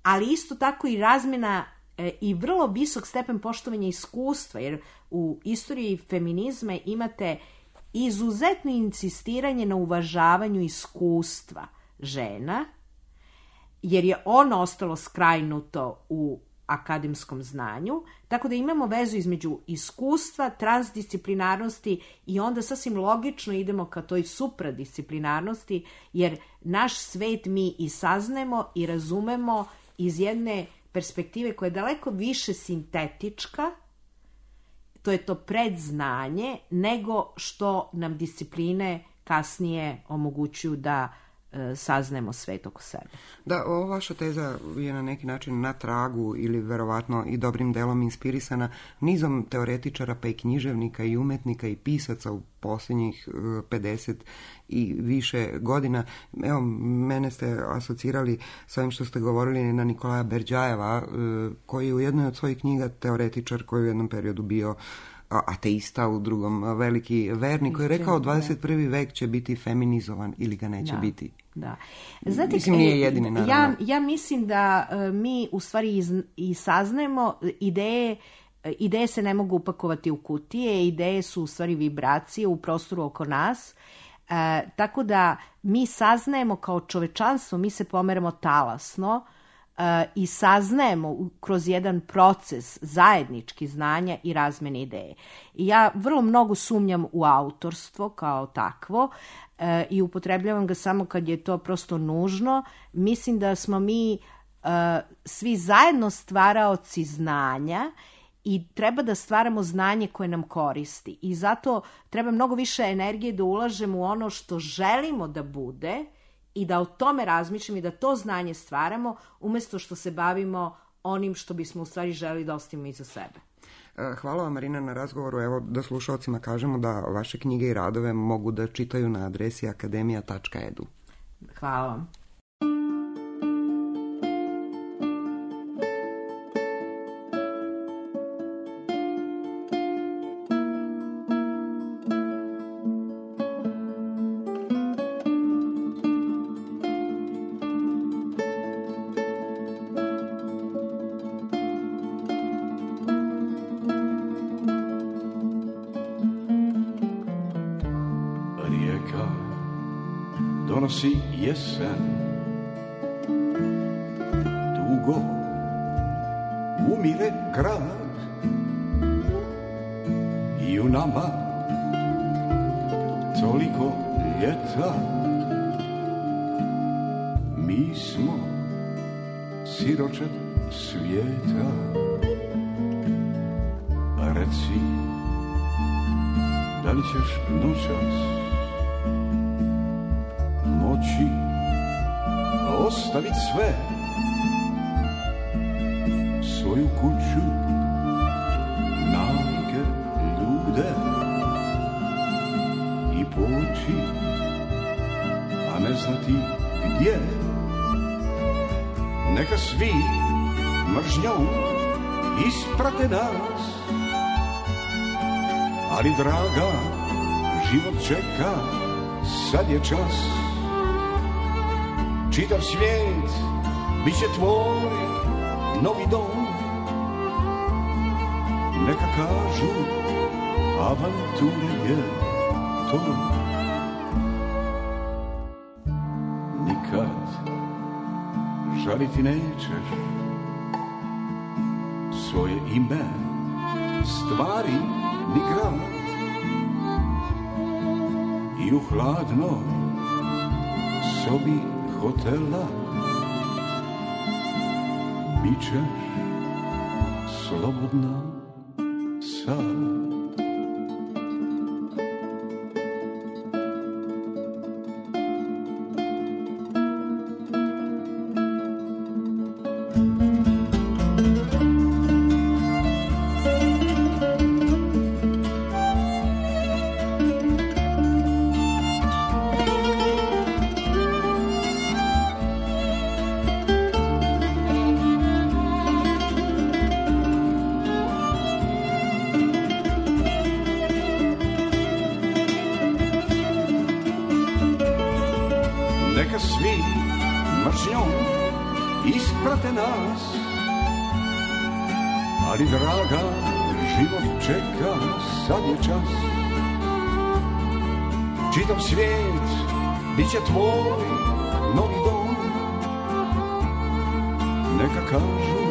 ali isto tako i razmena i vrlo visok stepen poštovanja iskustva, jer u istoriji feminizma imate izuzetno insistiranje na uvažavanju iskustva žena, jer je ono ostalo skrajnuto u akademskom znanju, tako da imamo vezu između iskustva, transdisciplinarnosti i onda sasvim logično idemo ka toj supradisciplinarnosti, jer naš svet mi i saznajemo i razumemo iz jedne perspektive koja je daleko više sintetička, to je to predznanje, nego što nam discipline kasnije omogućuju da e, saznajemo svet oko sebe. Da, ova vaša teza je na neki način na tragu ili verovatno i dobrim delom inspirisana nizom teoretičara, pa i književnika i umetnika i pisaca u posljednjih pedeset i više godina. Evo, mene ste asocirali s ovim što ste govorili na Nikolaja Berdjajeva, koji je u jednoj od svojih knjiga teoretičar koji je u jednom periodu bio ateista, u drugom veliki vernik, koji je rekao dvadeset prvi vek će biti feminizovan ili ga neće da, biti. Da. Znate, mislim, nije jedini, naravno. Ja, ja mislim da mi u stvari iz, i saznajemo ideje. Ideje se ne mogu upakovati u kutije, ideje su u stvari vibracije u prostoru oko nas, e, tako da mi saznajemo kao čovečanstvo, mi se pomeramo talasno e, i saznajemo kroz jedan proces zajednički znanja i razmene ideje. I ja vrlo mnogo sumnjam u autorstvo kao takvo e, i upotrebljavam ga samo kad je to prosto nužno. Mislim da smo mi e, svi zajedno stvaraoci znanja i treba da stvaramo znanje koje nam koristi. I zato treba mnogo više energije da ulažemo u ono što želimo da bude i da o tome razmišljamo i da to znanje stvaramo, umjesto što se bavimo onim što bismo u stvari želi da ostavimo iza sebe. Hvala vam, Marina, na razgovoru. Evo, da slušalcima kažemo da vaše knjige i radove mogu da čitaju na adresi akademija tačka e d u. Hvala vam. Donosi jesen, dugo umire grad i u nama toliko ljeta. Mi smo siročad svijeta. Reci, da li ćeš noćas moći ostavit sve, svoju kuću, navike, ljude i poći, a ne znati gdje, Neka svi mržnjom isprate nas, ali draga, život čeka, sad je čas. Čitav svijet bit će tvoj novi dom. Neka kažu, avantura je to. Nikad žaliti nećeš svoje ime, stvari ni grad. I u hladnoj sobi hotela bit ćeš slobodna sad. Neka svi mržnjom isprate nas, ali draga, život čeka, sad je čas. Čitav svijet bit će tvoj novi dom. Neka kažu,